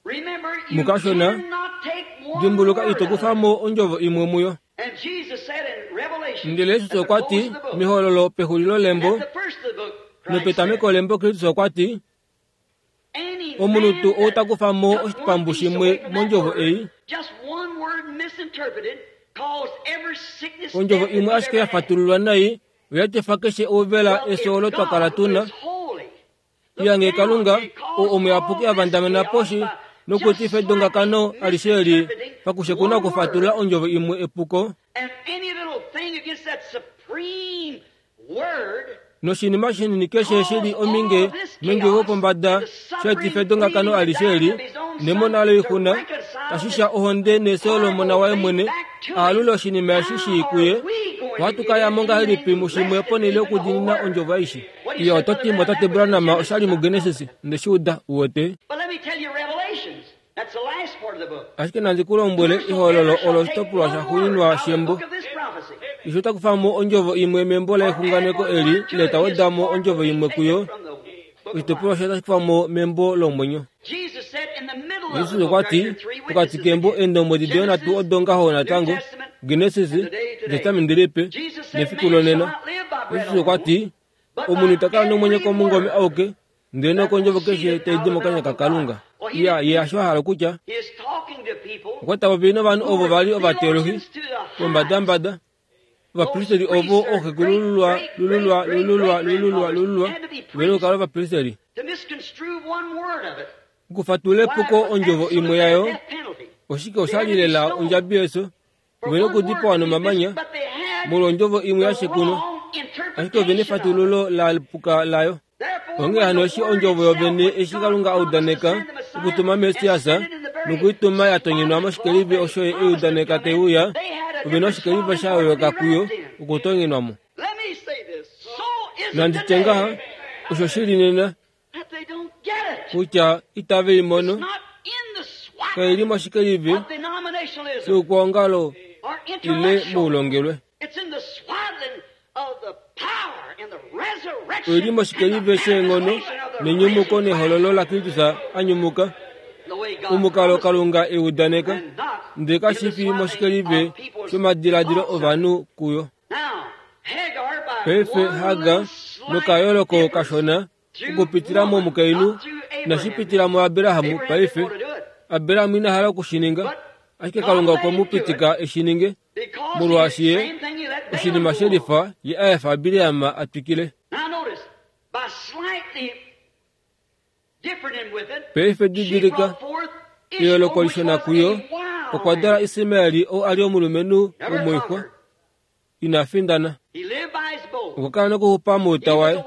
mukashona, dimbuluka ito kufa mo ondjovo imwe muyo. Ndele Jesus okwa ti mehololo pexulilo lembo nopetameko lembo Kristus okwa ti omunhu tuu ou ta kufa mo oshipambu shimwe mondjovo ei, ondjovo imwe ashike ya fatululwa nai oya tefa keshe ouvela efyo olo twa kala tuna. Iyange Kalunga oo omuyapuki a vandamena poshi nokutifa edongakano alishe eli pakushekuna okufatulula ondjovo imwe epuko. Noshinima shinini keshe shi li ominge nondjovo yopombada sha etifa edongakano alishe eli nemona loixuna tashi sha ohonde nefyo lomona waye mwene aalule oshinima eshi shii kuye. Ohatu ka ya mo ngahelipi mushimwe ponhele yokudiinina ondjovo aishe? Iya oto ti motate Branham osha li muGenesis, nde shi uda, uwete. Ashike nandi ku lombwele ehololo olo oshitopolwa shaxuuninwa shembo. Eshi ota kufa mo ondjovo imwe membo lexunganeko eli ile ta weda mo ondjovo imwe kuyo, oshitopolwa osho otashi kufa mo membo lomwenyo. Jesus okwa ti pokati kembo eendombwedi doye nhatu odo ngaho natango, Genesis, Etestamenti Lipe nefiku lonena. Jesus okwa ti omunhu ita kala nomwenyo komungome auke, ndele nokondjovo keshe tai di mokanya kaKalunga. Iya, ye hasho a hala okutya. Okwa ta popi novanhu ovo va li ovateolohi vombadambada, ovapristeri ovo ooxekulululwa lululwa lululwa lululwa lululwa ve nokukala ovapristeri. Okufatulula epuko ondjovo imwe yayo, oshike osha li lela ondjabi yefyo, ve nokudipawa nomamanya molwa ondjovo imwe ya shekunwa, ashike ove nefatululo la puka layo. Onghee hano eshi ondjovo yovene eshi Kalunga a udaneka okutuma Messias nokuituma ya tonyenwa moshikelivi osho ye e udaneka tai uya, ove na oshikelivi sha yooloka kuyo okutonyenwa mo. Nandi tye ngaha, osho shi li nena kutya itave i mono, kai li moshikelivi shoukwaongalo ile moulongelwe. Oili moshikelive sheenghono nenyumuko nehololo laKristus a nyumuka omukalo Kalunga eudaneka, ndele kashi fi moshikelive shomadiladilo ovanhu kuyo. Paife Hagar nokayooloko kashona okupitila momukainhu inashi pitila muAbraham. Paife Abraham ina hala okushininga, ashike Kalunga okwe mu pitika eshi ninge, molwaashi ye oshinima shelifa ye a efa Bileam a twikile. Paife didilika eyooloko lishona kuyo, okwa dala Ismael oo a li omulumenhu womoixwa ina findana. Okwa kala nokuxupa mouta waye.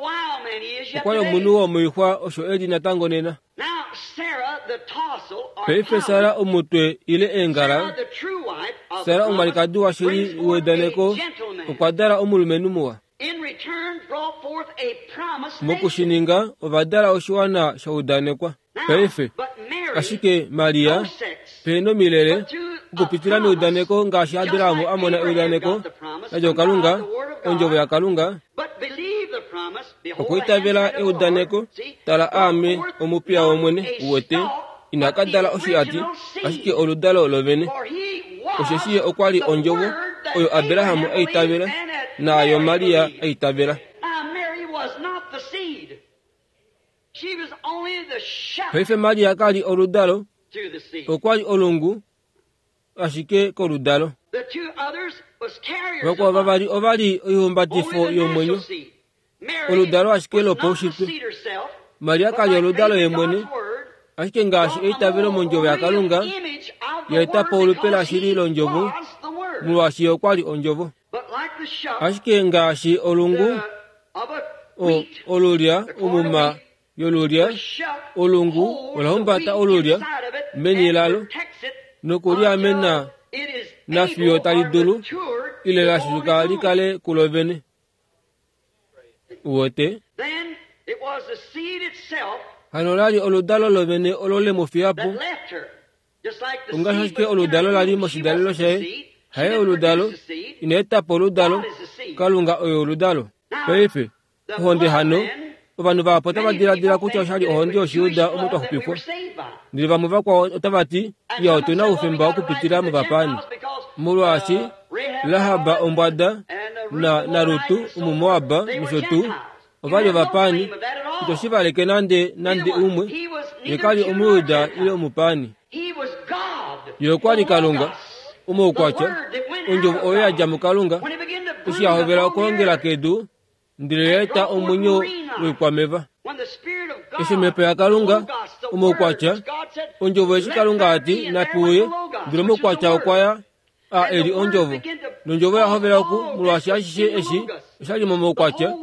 Okwa li omunhu womoixwa osho e li natango nena. Paife Sara omutwe ile eengala, Sara omwalikadi washili wedaneko okwa dala omulumenhu muwa. Mokushininga ova dala oshiwana sha udanekwa. Paife ashike Maria pehena omilele okupitila meudaneko ngaashi Abraham a mona eudaneko ladja kuKalunga, ondjovo yaKalunga, okwiitavela eudaneko, tala aame omupiya wOmwene, uwete, ina ka dala oshiati, ashike oludalo lovene. Osheshi ye okwa li ondjovo oyo Abraham a itavela naayo Maria a itavela. Paife Maria ka li oludalo, okwa li olungu ashike koludalo. Vakwao vavali ova li oihumbatifo yomwenyo, oludalo ashike lopaushitwe. Maria ka li oludalo ye mwene, ashike ngaashi eitavelo mondjovo yaKalunga ya eta po olupe lashili londjovo, molwaashi ye okwa li ondjovo. Ashike ngaashi olungu o olulya omuma yolulya, olungu ola humbata olulya meni lalo nokuliamena nafiyo tali dulu ile lashuka likale kulo vene. Uwete? Hano lali oludalo lovene olo le mu fiya po. Ongaashi ashike oludalo lali moshidalelo shaye, haye oludalo, ina eta po oludalo, Kalunga oye oludalo. Paife ohonde hano, ovanhu vahapu otava diladila kutya oshali ohonde yOshijuda omo twa xupifwa. Ndele vamwe vakwao otava ti, iya otu na oufemba okupitila movapaani. Molwaashi Rahab ombwada na naRut Omumoab nosho tuu ova li ovapaani, ito shi valeke nande nande umwe, ye ka li Omujuda ile omupaani. Ye okwa li Kalunga, omaukwatya, ondjovo oyo ya dja muKalunga, eshi ya hovela okulongela kedu, ndele ya eta omwenyo woikwameva. Eshi omhepo yaKalunga, omaukwatya, ondjovo eshi Kalunga a ti nape uye, ndele omaukwatya okwa ya a eli ondjovo. Nondjovo ya hovela oku, molwaashi ashishe eshi oshali momaukwatya,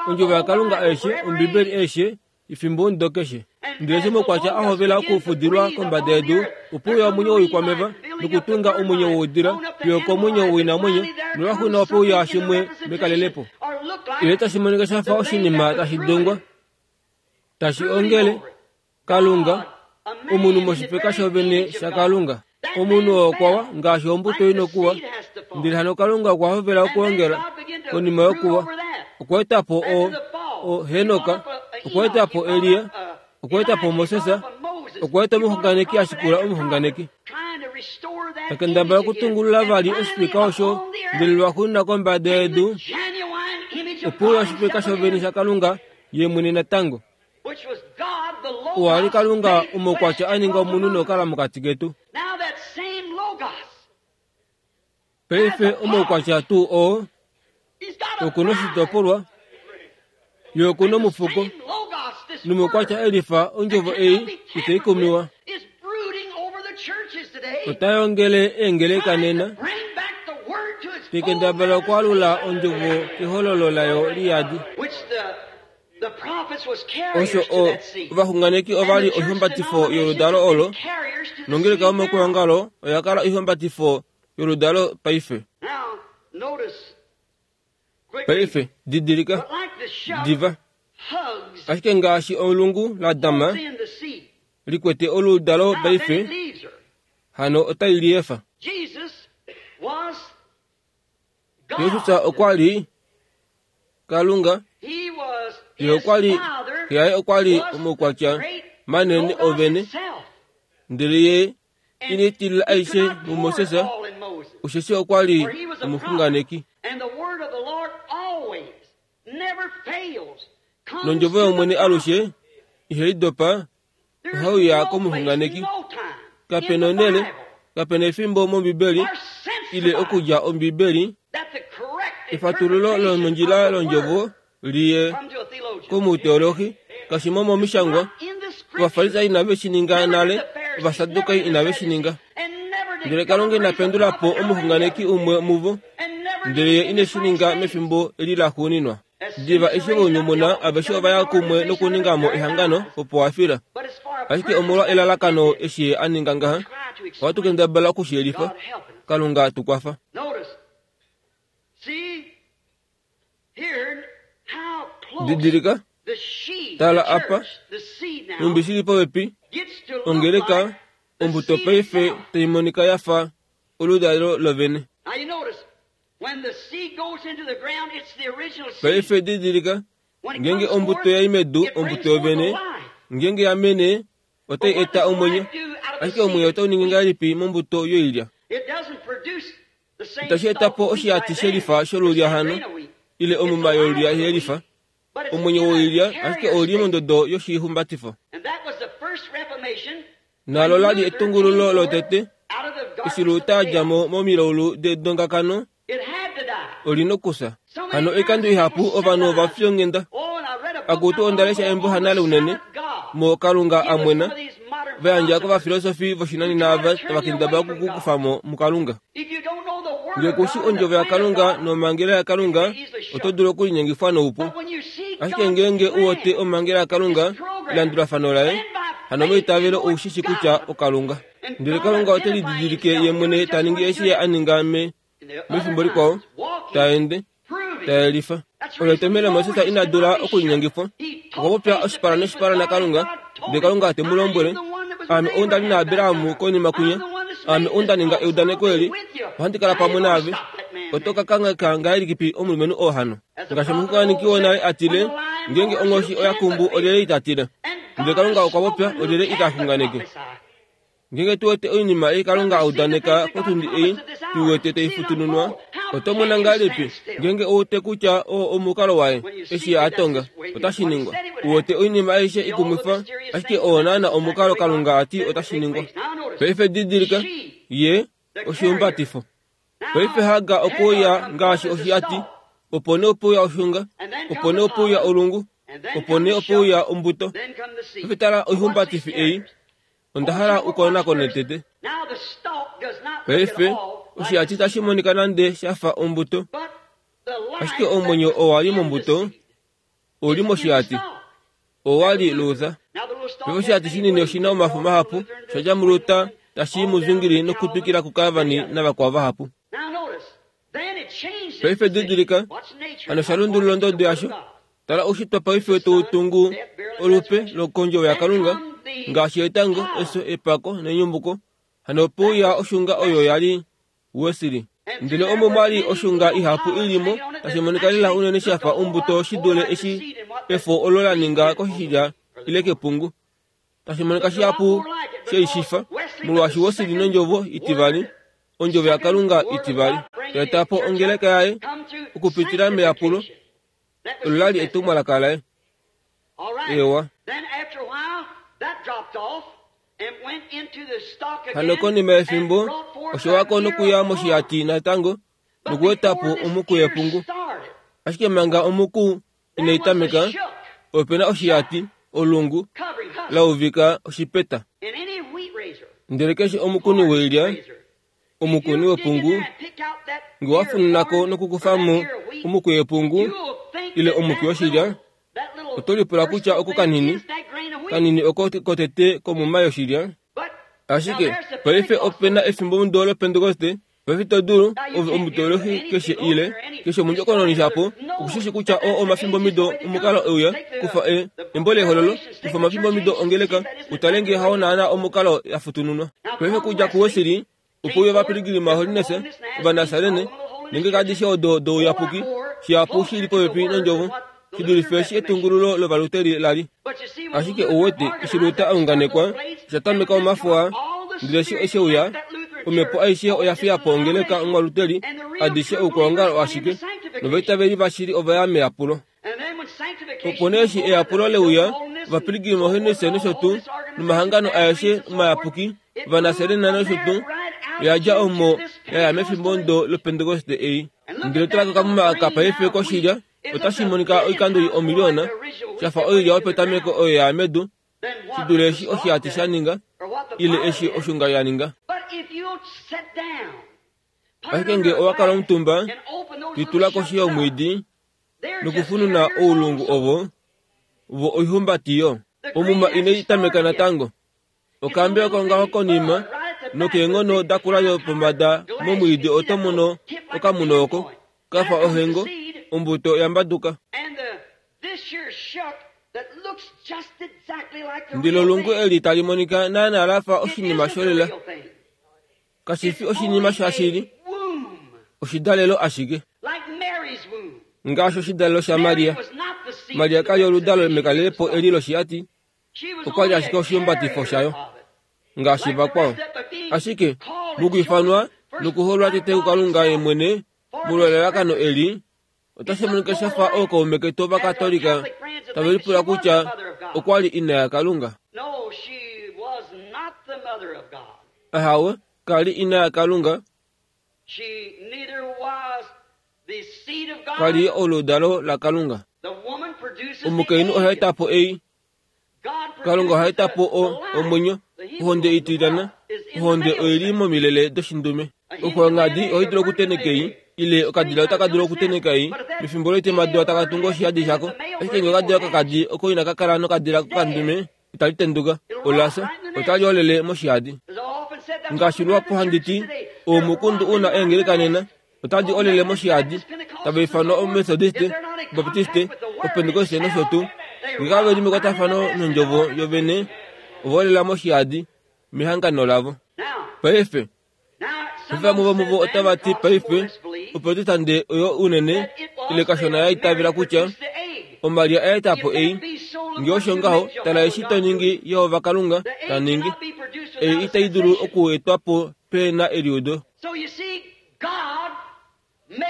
ondjovo yaKalunga aishe, Ombibeli aishe, efimbo omudo keshe. Ndele eshi omaukwatya a hovela okufudilwa kombada yedu, opo uya omwenyo woikwameva nokutunga omwenyo woudila fiyo okomwenyo woinamwenyo, nolwaxuuninwa opo uya shimwe mekalelepo. Ile tashi monika sha fa oshinima tashi dongwa, tashi ongele Kalunga, omunhu moshifeka shovene shaKalunga. Omunhu oo okwa wa ngaashi ombuto ina okuwa, ndele hano Kalunga okwa hovela okuongela konima yokuwa. Okwa eta po o, o Henok, okwa eta po Elia, okwa eta po Moses, okwa eta omuxunganeki a shikula omuxunganeki. Ta kendabala okutungulula vali oshifeka osho, ndele lwaxuuninwa kombada yedu opo uya oshifeka shovene shaKalunga ye mwene natango. Owa li Kalunga omaukwatya a ninga omunhu nokukala mokati ketu. Paife omaukwatya tuu oo oku na oshitopolwa, ye oku na omufuko, nomaukwatya elifa ondjovo ei itai kumiwa. Ota yongele eengeleka nena, tekendabala okwaalula ondjovo kehololo layo liyadi. Osho o ovaxunganeki ova li oihumbatifo yoludalo olo, nongeleka yomakulongalo oya kala oihumbatifo yoludalo paife. Paife didilika diva, ashike ngaashi olungu la dama likwete oludalo paife, hano otai liefa. Jesus okwa li Kalunga ye okwa li yaye okwa li omaukwatya manene ovene, ndele ye ine tilila aishe muMoses, osheshi okwa li omuxunganeki. Nondjovo yOmwene alushe ihai dopa, ohai uya komuxunganeki. Kapena onhele, kapena efimbo mOmbibeli ile okudja Ombibeli efatululo lomondjila londjovo liye komuteolohi kashimo momishangwa. Ovafarisai inave shi ninga nale, Ovasadukai inave shi ninga. Ndele Kalunga ina pendula po omuxunganeki umwe muvo, ndele ye ine shi ninga mefimbo eli laxuuninwa. Diva eshi vounyumuna aveshe ova ya kumwe nokuninga mo ehangano opo wa fila. Ashike omolwa elalakano eshi ye a ninga ngaha, ohatu kendabala okushiyelifa. Kalunga tu kwafa. Didilika, tala apa, nhumbi shili popepi, ongeleka ombuto paife tai monika ya fa oludalo lovene. Paife didilika, ngenge ombuto yai medu ombuto yovene, ngenge ya mene otai eta omwenyo, ashike omwenyo otau ningi ngahelipi mombuto yoilya? Itashi eta po oshiyati shelifa sholulya hano, ile omuma yolulya yelifa. Omwenyo woilya ashike ouli mondodo yoshihumbatifo. Nalo lali etungululo lotete, eshi Luther a dja mo momilaulu dedongakano, oli nokusa. Hano oikando ihapu ovanhu ova fyonghenda. Akutu onda lesha embo hanale unene, mo Kalunga a mwena, va yandja kovafilosofi voshinanena ava tava kendabala okukukufa mo muKalunga. Ngee kushi ondjovo yaKalunga nomhangela yaKalunga, oto dulu okulinyengifwa noupu. Ashike ngeenge u wete omhangela yaKalunga, elandulafano laye, hano meitavelo ou shi shi kutya oKalunga. Ndele Kalunga ote lididilike ye mwene ta ningi eshi ye a ninga me mefimbo likwao, ta ende, ta yelifa. Olo etomhelo Moses ina dula okulinyengifwa. Okwa popya oshipala noshipala naKalunga, ndele Kalunga te mu lombwele, Aame ou nda li naAbraham konima kwinya, aame ou nda ninga eudaneko eli, ohandi kala pamwe naave. Oto ka kangheka ngahelipi omulumenhu oo hano? Ngaashi omuxunganeki wonale a tile, ngeenge onghoshi oya kumbu olyelye ita tila? Ndele Kalunga okwa popya olyelye ita xunganeke? Ngeenge tu wete oinima ei Kalunga a udaneka potundi ei, tu wete tai futununwa, oto mona ngahelipi ngeenge ou wete kutya oo omukalo waye eshi a tonga, otashi ningwa. U wete oinima aishe ikumwifa, ashike oo naana omukalo Kalunga a ti otashi ningwa. Paife didilika, ye oshihumbatifo. Paife Hagar okwe uya ngaashi oshiyati, opo nee ope uya oshunga, opo nee ope uya olungu, opo nee ope uya ombuto. Paife tala oihumbatifi ei, onda hala ukonakone tete. Paife oshiyati itashi monika nande sha fa ombuto, ashike omwenyo owa li mombuto, ouli moshiyati, owa li Luther. Paife oshiyati shinini oshina omafo mahapu, sha dja muLuther tashi muzungili nokutwikila kuCalvin navakwao vahapu. Paife didilika, hano sha lundulula ondodo yasho. Tala oushitwa paife tau tungu olupe lokondjovo yaKalunga, ngaashi etango, efyo, epako nenyumuko. Hano ope uya oshunga oyo ya li Wesley. Ndele omo mwa li oshunga ihapu ili mo, tashi monika lela unene sha fa ombuto shi dule eshi efo olo la ninga koshilya ile kepungu. Tashi monika shihapu sheishifa, molwaashi Wesley nondjovo itivali, ondjovo yaKalunga itivali, ta eta po ongeleka yaye okupitila meyapulo, olo la li etumwalaka laye. Ewa. Hano konima yefimbo, osho wako nokuya moshiyati natango, nokueta po omuku yepungu. Ashike manga omuku inai tameka, ope na oshiyati, olungu, la uvika oshipeta. Ndele keshe omukuni woilya, omukuni wepungu, nge wa fununako nokukufa mo omuku yepungu, ile omuku yoshilya, oto lipula kutya oko kanini, kanini oko kotete komuma yoshilya. Ashike paife ope na efimbo mudo loPentekoste, paife to dulu ove omuteolohi keshe ile keshe omundjokononi shapo okushishi kutya oo omafimbo mido omukalo euya kufa e embo lehololo, kufa omafimbo mido ongeleka, utale ngee hao naana omukalo ya futununwa. Paife kudja kuWesley, opo uya ovapiligilima Holiness, Ovanasarene, Nenge adishe odo douyapuki shihapu shi li popepi nondjovo shidulife eshi etungululo lovaluteri lali. Ashike ouwete eshi Luther aunganekwa osha tameka omafo aa, ndele eshi esheuya omhepo aishe oya fiya po ongeleka omwaluteri adishe oukwaongalo ashike novaitaveli vashili ova ya meyapulo. Opo nee eshi eyapulo leuya ovapilgrim ohenese nosho tuu nomahangano aeshe omayapuki ovanaserena nosho tuu oya dja omo ya ya mefimbo ndo lopentekoste ei. Ndele tala kokamuma aka paife koshilya otashi monika oikando omiliona shafa oilya yopetameko oyo ya medu shidule eshi oshihati sha ninga ile eshi oshunga ya ninga. Ashike nge owa kala omutumba litula koshi yomwiidi nokufununa oulungu ovo vo oihumbatiyo. Omuma inai tameka natango. Okaambe oko ngaho konima nokeenghono dakula yopombada momwiidi oto mono okamuno oko kafa ohengo ombuto yambaduka. Ndele olungu eli tali monika naana lafa oshinima sholela. Kashifi oshinima shashili, oshidalelo ashike. Ngaashi oshidalelo shaMaria. Maria kali oludalo mekalelepo eli loshihati, okwa li ashike oshihumbatifo shayo ngaashi vakwao. Ashike mokwiifanwa nokuholwa tete kuKalunga ye mwene molwa elalakano eli, otashi monika shafa ookaume ketu Ovakatolika tave lipula kutya okwa li ina yaKalunga. Ahawe, kali ina yaKalunga, kali oludalo laKalunga. Omukainhu oha eta po ei, Kalunga oha eta po omwenyo, ohonde itilyana, ohonde oili momilele doshindume. Oxwangadi ohai dulu okuteneka ei, ile okadila otaka dulu okuteneka ei, mefimbo loitemadula taka tungu oshihadi shako. Ashike ngee okadila kokadi oko inaka kala nokadila kokandume, itali tenduka, olafya, otali olele moshihadi. Ngaashi luhapu handi ti, oumukundu una eengeleka nena, otadi olele moshihadi, tava ifanwa Omethodiste, Obaptiste, Opentekoste nosho tuu. Ngee kave li mekwatafano nondjovo yovene, ova olela moshihadi mehangano lavo. Paife, vamwe vomuvo otava ti paife oprotestante oyo unene ile kashona ya itavela kutya Omaria oya eta po ei. Ngee osho ngaho, tala eshi to ningi Jehova Kalunga ta ningi. Ei itai dulu okuetwa po pe na eliudo.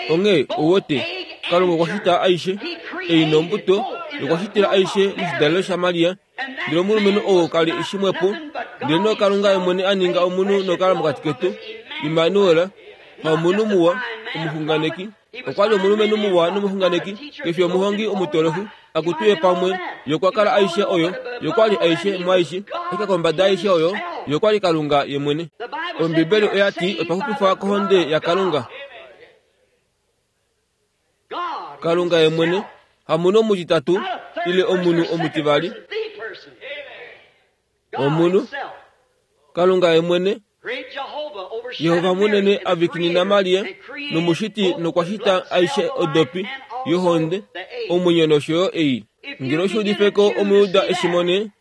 Onghee ouwete, Kalunga okwa shita aishe ei nombuto, okwa shitila aishe moshidalelo shaMaria. Ndele omulumenhu oo kali shimwepo, ndele no Kalunga ye mwene a ninga omunhu nokala mokati ketu, Immanuel, haomunhu muwa, omuxunganeki. Okwa li omulumenhu muwa nomuxunganeki, kefi omuhongi omutolofi, akutuye pamwe, ye okwa kala aishe oyo, ye okwa li aishe mwaaishe, ashike kombada aishe oyo, ye okwa li Kalunga ye mwene. Ombibeli oya ti otwa xupifwa kohonde yaKalunga. Kalunga ye mwene, hamunhu omutitatu ile omunhu omutivali. Omunhu, Kalunga ye mwene, Jehova munene avikinina Maria nomushiti nokwa shita aishe odopi yohonde, omwenyo nosho yo ei. Ngele osho udifeko Omuyuda eshimone,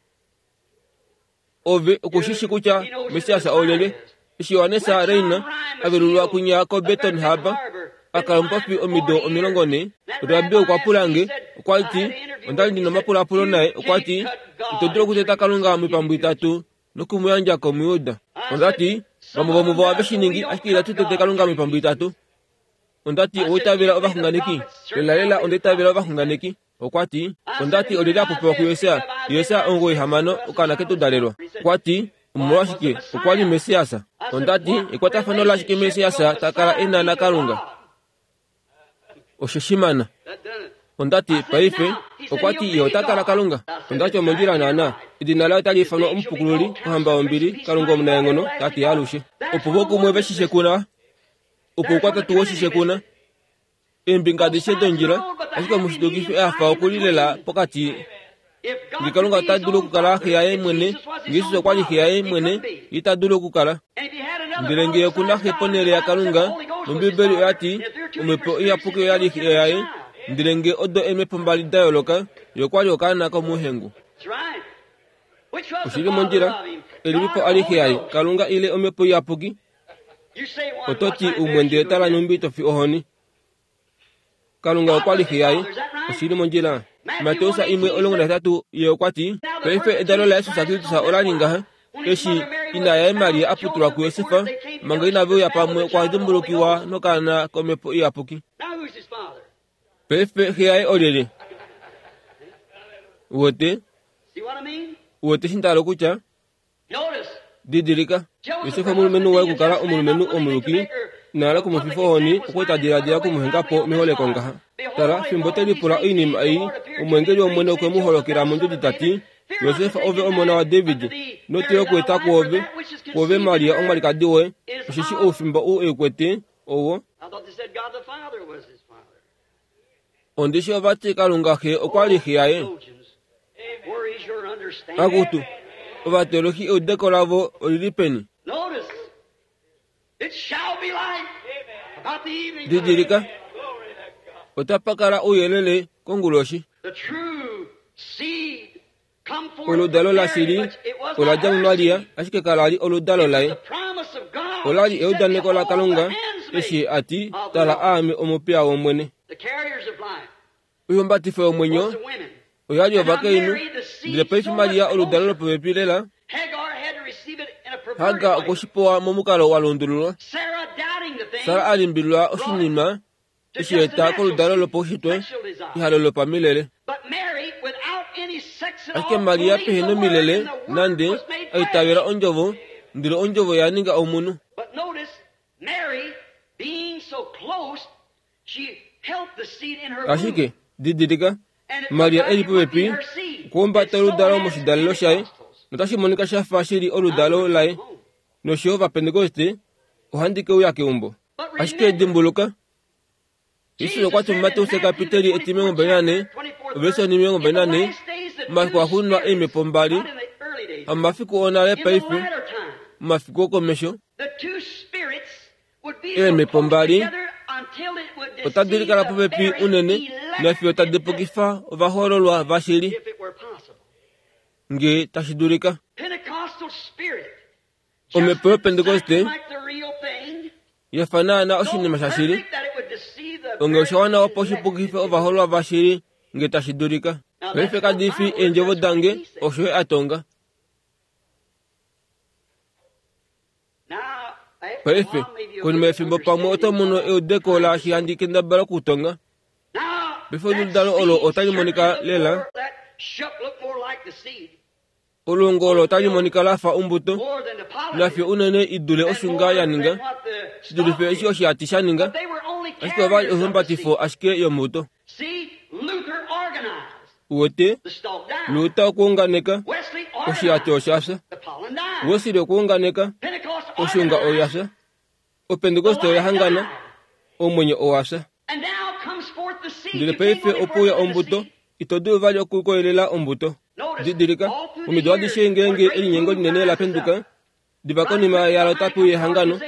ove okushishi kutya Messias olyelye. Eshi Johannes Reina avelulwa kunya koBeton Harbor, akala omupopi omido omilongo nhee, Rabbi okwa pula nge, okwa ti, onda li ndina omapulapulo naye, okwa ti, ito dulu okuteta Kalunga moipambu itatu nokumuyandja kOmuyuda. Onda ti, vamwe vomuvo ohave shi ningi, ashike itatu tete Kalunga moipambu itatu. Onda ti, owa itavela ovaxunganeki? Lelalela onda itavela ovaxunganeki. Okwa ti, onda ti olyelye a popiwa kuJesaja? Jesaja omugoyi hamano, okaana ketu dalelwa. Okwa ti, omolwashike, okwa li Messias. Onda ti, ekwatafano lashike Messias ta kala e na naKalunga? Osho shimana. Onda ti, paife, okwa ti ye ota kala Kalunga. Onda ti omondjila naana. Edina laye otali ifanwa Omupukululi, Ohamba yombili, Kalunga omunaenghono, Tate yaalushe. Opo vo kumwe ve shi shekuna, opo oukwatatu we shi shekuna, eembinga adishe dondjila, ashike omushitukifi a fa okulilela pokati. Nge Kalunga ota dulu okukala xe yaye mwene, nge Jesus okwa li xe yaye mwene, ye ita dulu okukala. Ndele nge oku na xe ponhele yaKalunga, nOmbibeli oya ti, Omhepo Iyapuki oya li xe yaye, ndele nge odo eemhepo mbali da yooloka, ye okwa li okaana komuhengu. Oshili mondjila, elipipo a li xe yaye, Kalunga ile Omhepo Iyapuki? Oto ti umwe ndele tala nhumbi to fi ohoni. Kalunga okwa li xe yaye. Oshili mondjila. Mateus imwe omulongo nahetatu ye okwa ti, paife edalo laJesus Kristus ola li ngaha, eshi ina yaye Maria a putulwa kuJosef, manga inave uya pamwe okwa dimbulukiwa nokaana komhepo iyapuki. Paife xe yaye olyelye? Wote? Wote eshi nda hala okutya? Didilika, Josef omulumenhu waye okukala omulumenhu omuyuki, ina hala okumufifa ohoni, okwa li ta diladila okumuhenga po meholeko ngaha. Tala, fimbo te lipula oinima ei, omweengeli wOmwene okwe mu holokela mondjodi ta ti, Josef ove omona waDavid, notile okweeta kwoove, kwoove Maria omwalikadi woye, osheshi oufimba ou e kwete owo. Ondishi ovati Kalunga xe okwa li xe yaye. Akutu, ovateolohi eudeko lavo olili peni? Didilika, otapa kala ouyelele konguloshi. Oludalo lashili ola dja muMaria, ashike kala li oludalo laye. Ola li eudaneko laKalunga, eshi a ti, tala aame omupiya wOmwene. Oihumbatifo yomwenyo oya li ovakainhu, ndele paife Maria oludalo lopopepi lela. Hagar okweshipewa momukalo wa lundululwa. Sara a limbililwa oshinima eshi eta koludalo lopaushitwe ehalo lopamilele. Ashike Maria pehe nomilele nande a itavela ondjovo, ndele ondjovo ya ninga omunhu. Ashike didilika, Maria e li popepi okuhumbata oludalo moshidalelo shaye, notashi monika sha fa shi li oludalo laye. Nosho yo Ovapentekoste, ohandi ke uya keumbo. Ashike dimbuluka, Jesus okwa ti muMateus kapiteli etimilongo mbali nane, overse onimilongo mbali nane, momafiku axuuninwa eemhepo mbali, hamomafiku onale paife, momafiku okomesho, eemhepo mbali otadi likala popepi unene nafiyo tadi pukifa ovahoololwa vashili, nge tashi dulika. Omhepo yoPentekoste ya fa naana oshinima shashili, onge osha wana opo shi pukife ovahoololwa vashili nge tashi dulika. Paife kadi fi eendjovo dange, osho ye a tonga. Paife, konima yefimbo pamwe oto mono eudeko laashi handi kendabala okutonga. Paife oludalo olo otali monika lela. Olungu olo otali monika la fa ombuto, nafiyo unene i dule oshunga ya ninga, shi dulife eshi oshihati sha ninga, ashike ova li oihumbatifo ashike yombuto. Uwete, Luther okuunganeka, oshihati osha fya. Wesley okuunganeka, oshunga oya fya. Opentekoste oya hangana, omwenyo owa fya. Ndele paife ope uya ombuto, ito dulu vali okukoyelela ombuto. Didilika, omido adishe ngeenge elinyengo linene la penduka, diva konima yalo tape uya ehangano,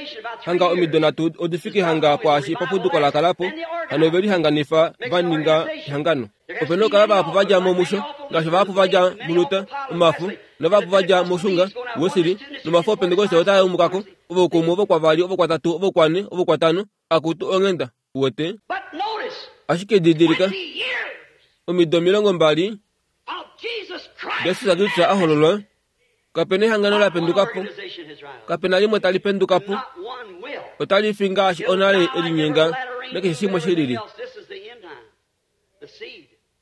hanga omido nhatu odi fike hanga kwaashi papuduko la kala po, hano ove lihanganifa va ninga ehangano. Ope na okukala vahapu va dja mo musho, ngaashi vahapu va dja muLuther, omafo, novahapu va dja moshunga, Wesley, nomafo Opentekoste otaa yumuka ko, ovokumwe, ovokwavali, ovokwatatu, ovokwane, ovokwatano, akutu onghenda, uwete. Ashike didilika, omido omilongo mbali, Jesus Kristus a hololwa, kape na ehangano la penduka po, kape na limwe tali penduka po, otali fi ngaashi onale elinyenga nakeshe shimwe shi lili.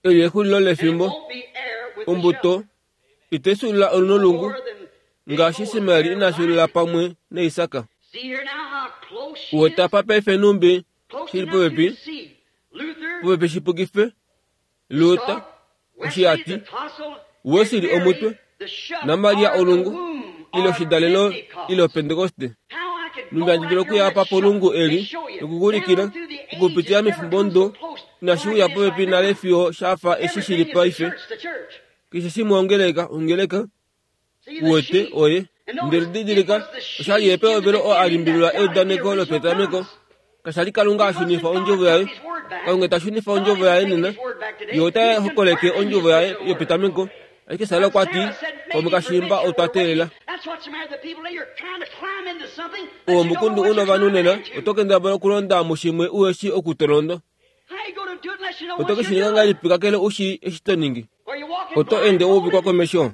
Eli exulilo lefimbo, ombuto ite sulula olunolungu, ngaashi Ismael ina sulula pamwe naIsak. Uwete apa paife numbi shili popepi, popepi shipukife, Luther, oshihati, Wesley omutwe, naMaria olungu, ile oshidalelo ile Opentekoste. Numbi handi dulu okuya apa polungu eli nokukuulikila, okupitila mefimbo odo, inashi uya popepi nale fiyo sha fa eshi shili paife. Keshe shimwe ongeleka, ongeleka, uwete, oye. Ndele didilika, osha li epehovelo oo a limbililwa eudaneko lopetameko. Kasha li Kalunga a shunifa ondjovo yaye. Kalunga ta shunifa ondjovo yaye nena. Ye ota hokoleke ondjovo yaye yopetameko. Ashike Sara okwa ti, pamwe kashiimba otwa teelela. Owo omukundu u novanhu nena, oto kendabala okulonda mushimwe uhe shi oku to londo. Oto ke shi ninga ngahelipi kakele u shii eshi to ningi? Oto ende wa uvikwa komesho.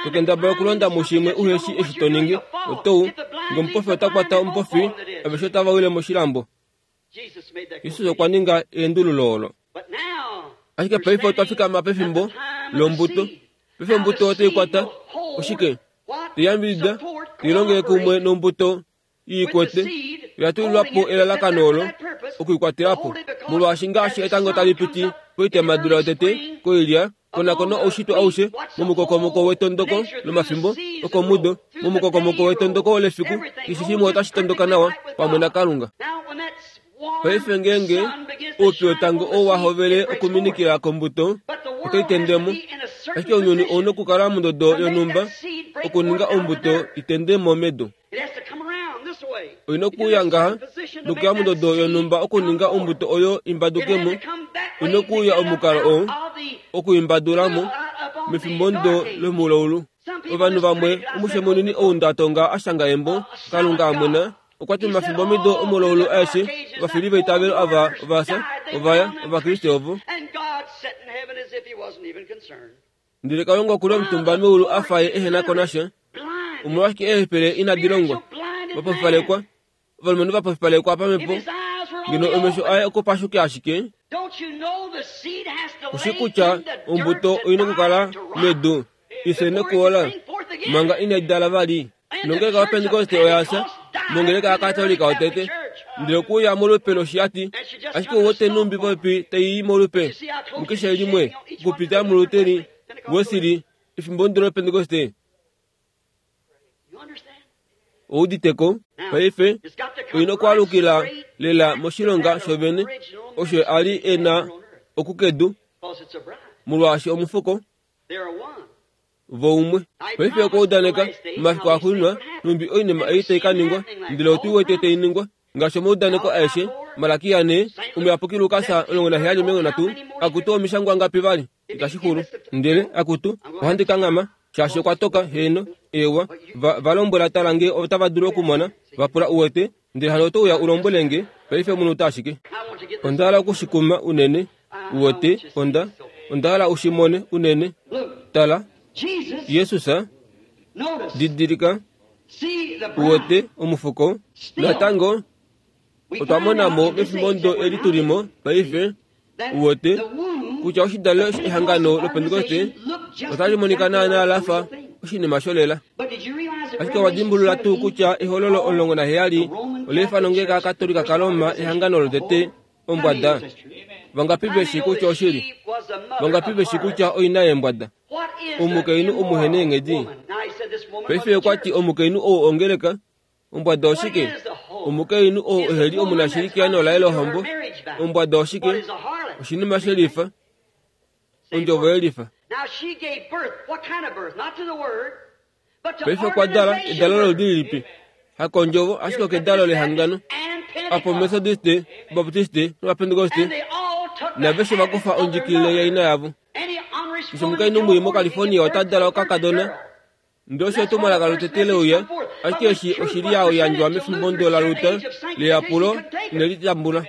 To kendabala okulonda mushimwe uhe shii eshi to ningi. Oto u, nge omupofi ota kwata omupofi, aveshe otava wile moshilambo. Jesus okwa ninga eendululo olo. Ashike paife otwa fikama pefimbo lombuto. Paife ombuto otai kwata oshike? Teyambidida, teilongele kumwe nombuto iikwete. Oya tulilwa po elalakano olo okuikwatela po. Molwaashi ngaashi etango tali piti poitemadula yotete koilya, konakona oushitwe aushe momukokomoko wetondoko lomafimbo okomudo, momukokomoko wetondoko lefiku, keshe shimwe otashi tondoka nawa pamwe naKalunga. Paife ngeenge oupyu wetango oo wa hovele okuminikila kombuto, otai tende mo. Ashike ounyuni ou na okukala mondodo yonhumba okuninga ombuto i tende mo medu. Oina okuuya ngaha nokuya mondodo yonhumba okuninga ombuto oyo i mbaduke mo. Oina okuuya omukalo oo okuimbadula mo mefimbo ndo lomulaulu. Ovanhu vamwe omushe munini ou ndatonga a shanga embo Kalunga amwena okwa ti momafimbo omido omulaulu aeshe ovafili veitavelo ava ovafya ovaya Ovakriste ovo. Ndele Kalunga okuli omutumba meulu a fa ye ehena ko nasha. Omolwashike eehepele inadi longwa? Vapofipalekwa, ovalumenhu vapofipalekwa pamhepo, ngeno omesho aye okupashuke ashike. Oshi kutya ombuto oina okukala medu ifye nokuola manga inai dala vali. Nongeleka yoPentekoste oya fya, nongeleka yaKatolika yotete. Ndele okuuya molupe loshiyati, ashike ouwete nhumbi popepi tai i molupe mukeshe limwe okupitila muLuteri, Wesley, efimbo ndo loPentekoste. Ouditeko paife oina okwaalukila lela moshilonga shovene osho a li e na okukedu, molwaashi omufuko voumwe. Paife okwa udaneka momafiku axuuninwa nhumbi oinima ei tai ka ningwa, ndele otu wete tai ningwa ngaashi omaudaneko aeshe. Malakia ne, omuyapuki Lukas omulongo naheyali omilongo nhatu, akutu omishangwa ngapi vali itashi xulu. Ndele akutu ohandi kanghama shaashi okwa toka. Heeno, eewa, va, va lombwela tala nge otava dulu okumona, va pula uwete, ndele hano oto uya u lombwele nge paife omunhu ashike. Onda hala okushikuma unene, uwete, onda onda hala u shi mone unene. Tala, Jesus, didilika, uwete omufuko. Natango otwa mona mo mefimbo ndo eli tulimo paife, uwete kutya oshidalelo ehangano loPentekoste otali monika naanaa la fa oshinima sholela. Ashike owa dimbulula tuu kutya ehololo omulongo naheyali ola ifana ongeleka yaKatolika kaRoma ehangano lotete ombwada? Vangapi veshi kutya oshili? Vangapi veshi kutya oina yeembwada? Omukainhu omuhena eenghedi. Paife okwa ti omukainhu ou ongeleka ombwada oshike? Omukainhu ou eheli omunashili keano laye lohombo. Ombwada oshike? Oshinima shelifa, ondjovo yelifa. Paife okwa dala edalo loludi lilipi? Hakondjovo, ashike okedalo lehangano. Apo Methodiste, Baptiste nOvapentekoste naveshe va kufa ondjikilile yaina yavo. Keshe omukainhu mwii moCalifornia ota dala okakadona. Ndele osho etumwalaka lotete leuya, ashike eshi oshili ya yandjwa mefimbo ndo laLuther leyapulo ineli tambula.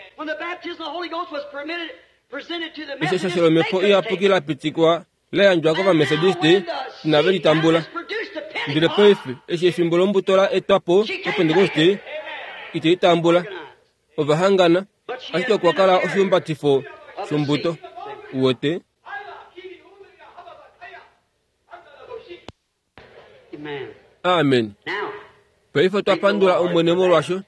Eshi eshasho lomhepo iyapuki la pitikwa la yandjwa kOvamethodiste, inave li tambula. Ndele paife eshi efimbo lombuto la etwa po koPentekoste, ite i tambula. Ova hangana, ashike okwa kala oshihumbatifo shombuto. Uwete? Amen. Paife otwa pandula Omwene molwasho.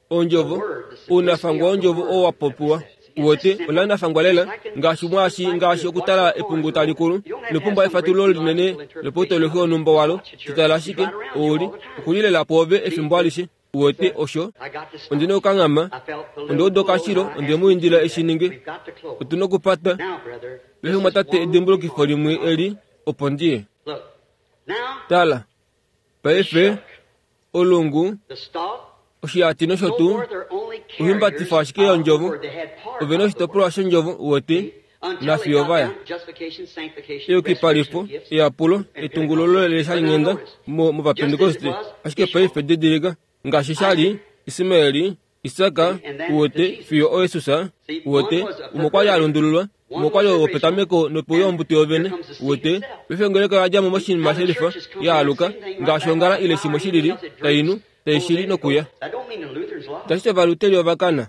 Ondjovo, ounafangwa wondjovo oo wa popiwa. Uwete, ola nafangwa lela, ngaashi mwaashi ngaashi okutala epungu tali kulu. Ino pumbwa efatululo linene lopautoloki wonhumba walo. Shitala ashike, ouli, okuli lela pwoove efimbo alishe. Uwete osho? Ondi na okukanghama. Onda uda okashilo, onde mu indila eshi ninge. Otu na okupata. Paife mwatate edimbulukifo limwe eli, opo ndi ye. Tala, paife, olungu, oshiyati nosho tuu, oihumbatifa ashike yondjovo, ove na oshitopolwa shondjovo, uwete, nafiyo va ya. Eyukipalifo, eyapulo, etungululo leshalinghenda mo, mOvapentekoste. Ashike paife didilika, ngaashi sha li Ismaeli Isaka uwete fiyo oYesus uwete umwe okwali alundululwa umwe okwali wopetameko nopeuya ombuto yovene uwete paife ongeleka oyadjamo moshinima shelifa yaaluka ngaashi ongala ile shimwe shilili tainu taishili nokuya. Tashi ovaluteli ovakana.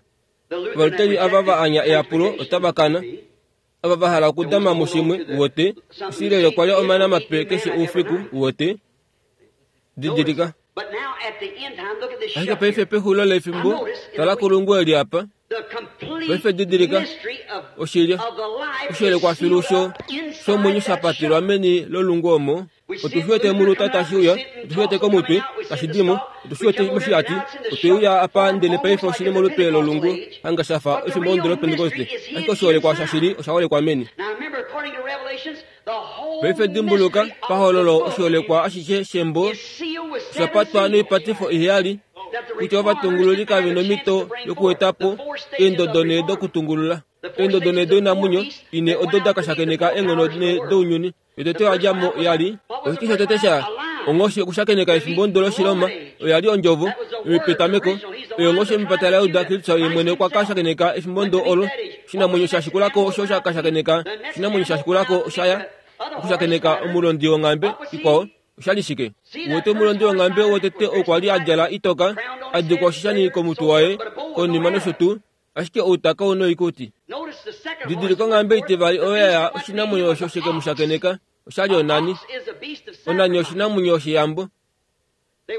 Ovaluteli ava va anya eyapulo otava kana. Ava va hala okudama mushimwe uwete Israel okwa lya omana mape keshe oufiku uwete didilika. Ashike paife pexulilo lefimbo tala kulungu eli apa. Paife didilika oshilya oshielekwa filu sho shomwenyo shapatilwa meni lolungu omo. Otu shi wete muluta tashi uya, otu shi wete komutwe tashi dimo, otu shi wete moshihati, otwe uya apa ndele paife oshili molupe lolungu hanga shafa efimbo ndo lopentekoste. Ashike oshiholekwa shashili osha holekwa meni. Paife dimbuluka pahololo oshiholekwa ashishe shembo shapatwa noipatifo iheyali kutya ovatungululi kave nomito yokuetapo eendodo ne dokutungulula. Eendodo ne doinamwenyo ine odo dakashakeneka eenghono ne dounyuni. Yotete oyadjamo yali oshike shotete sha onghoshi okushakeneka efimbo ndo loshiloma oya li ondjovo yopetameko oyo onghoshi yomepata laYuda. Kristus ye mwene okwa kashakeneka efimbo ndo olo. Oshinamwenyo shashikulako osho shakashakeneka oshinamwenyo shashikulako oshaya okushakeneka omulondi wonghambe ikwao. Oshali shike? Uwete omulondi wonghambe wotete okwa li adjala itoka adikwa oshishani komutwe waye konima nosho tuu, ashike outaka ou noikuti. Didilika onghambe itivali oyo yaya oshinamwenyo osho sheke mushakeneka oshali onani. Onani oshinamwenyo sheyambo.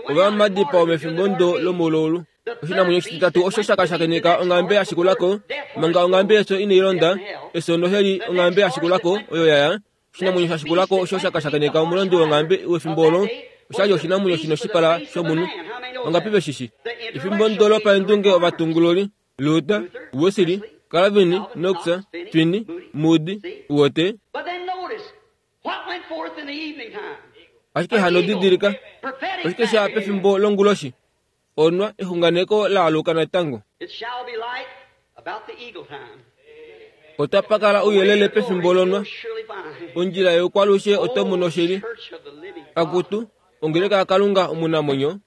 Ova madipao mefimbo ndo lomululu. Oshinamwenyo oshititatu osho shakashakeneka onghambe yashikulako manga onghambe yeso inai londa eso noheli onghambe yashikulako oyo yaya oshinamwenyo shashikulako osho shakashakeneka omulondi wonghambe wefimbo olo oshali oshinamwenyo shino shipala shomunhu. Ongapi veshishi? Efimbo ndo lopaendunge ovatungululi Luther, Wesley, Calvin, Knox, Finney, Moody, uwete. Ashike hano didilika oshike sha pefimbo longuloshi onwa exunganeko laaluka natango. Otapa kala ouyelele pefimbo lonwa ondjila youkwalushe oto mono oshili. Akutu ongeleka yaKalunga omunamwenyo.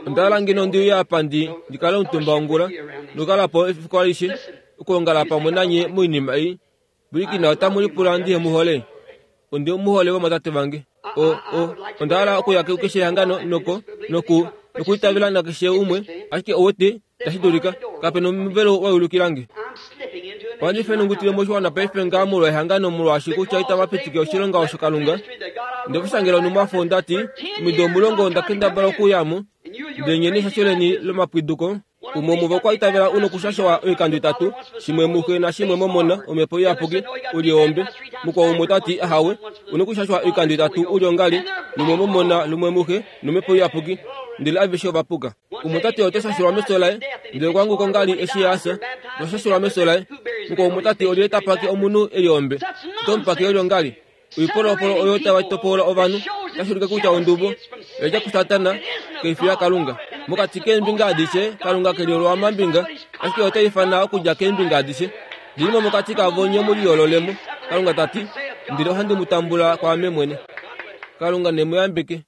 Onda hala ngeno ndi uye apa ndi ndikale omutumba ongula nokukalapo efiku alishe okuongala pamwe nanye moinima ei. Pwilikina otamu lipula ndihe muhole. Ondi muhole vomatate vange. O o onda hala okuya kukeshe ehangano noko noku nokuitavela nakeshe umwe, ashike owete tashi dulika kapena omuvelo wayulukilange. Ohandi fenungutile moshiwana paife ngaa molwa ehangano molwaashi kutya itava pitike oshilonga osho Kalunga. Ndekusangela onumwafo ndati omido omulongo onda kendabala okuyamo ndele nye neshasho lomapwiduko. Umwe omuvo okwa itavela uno okushashwa oikando itatu, shimwe muxe nashimwe momona omhepo iyapuki uli ombe. Mukwao umwe tati ahawe uno okushashwa oikando itatu uli ongali, lumwe momona lumwe muxe nomhepo iyapuki, ndele aveshe ovapuka. Umwe tati oto shashulwa meso laye, ndele okwanguka ongali eshi asa noshashulwa meso laye. Mukwao umwe tati olyelye tapake omunhu eli ombe, otomupake eli ongali. Oipolopolo oyo tava topola ovanhu otashi ulike kutya ondubo oyadja kuSatana kaifi yaKalunga. Mokati keembinga adishe Kalunga keli olwamambinga, ashike ota ifana okudja keembinga adishe. Dilimo mokati kavo nye muliyoololemo, Kalunga tati, ndele ohandi mu tambula kwaame mwene. Kalunga ne mu yambeke.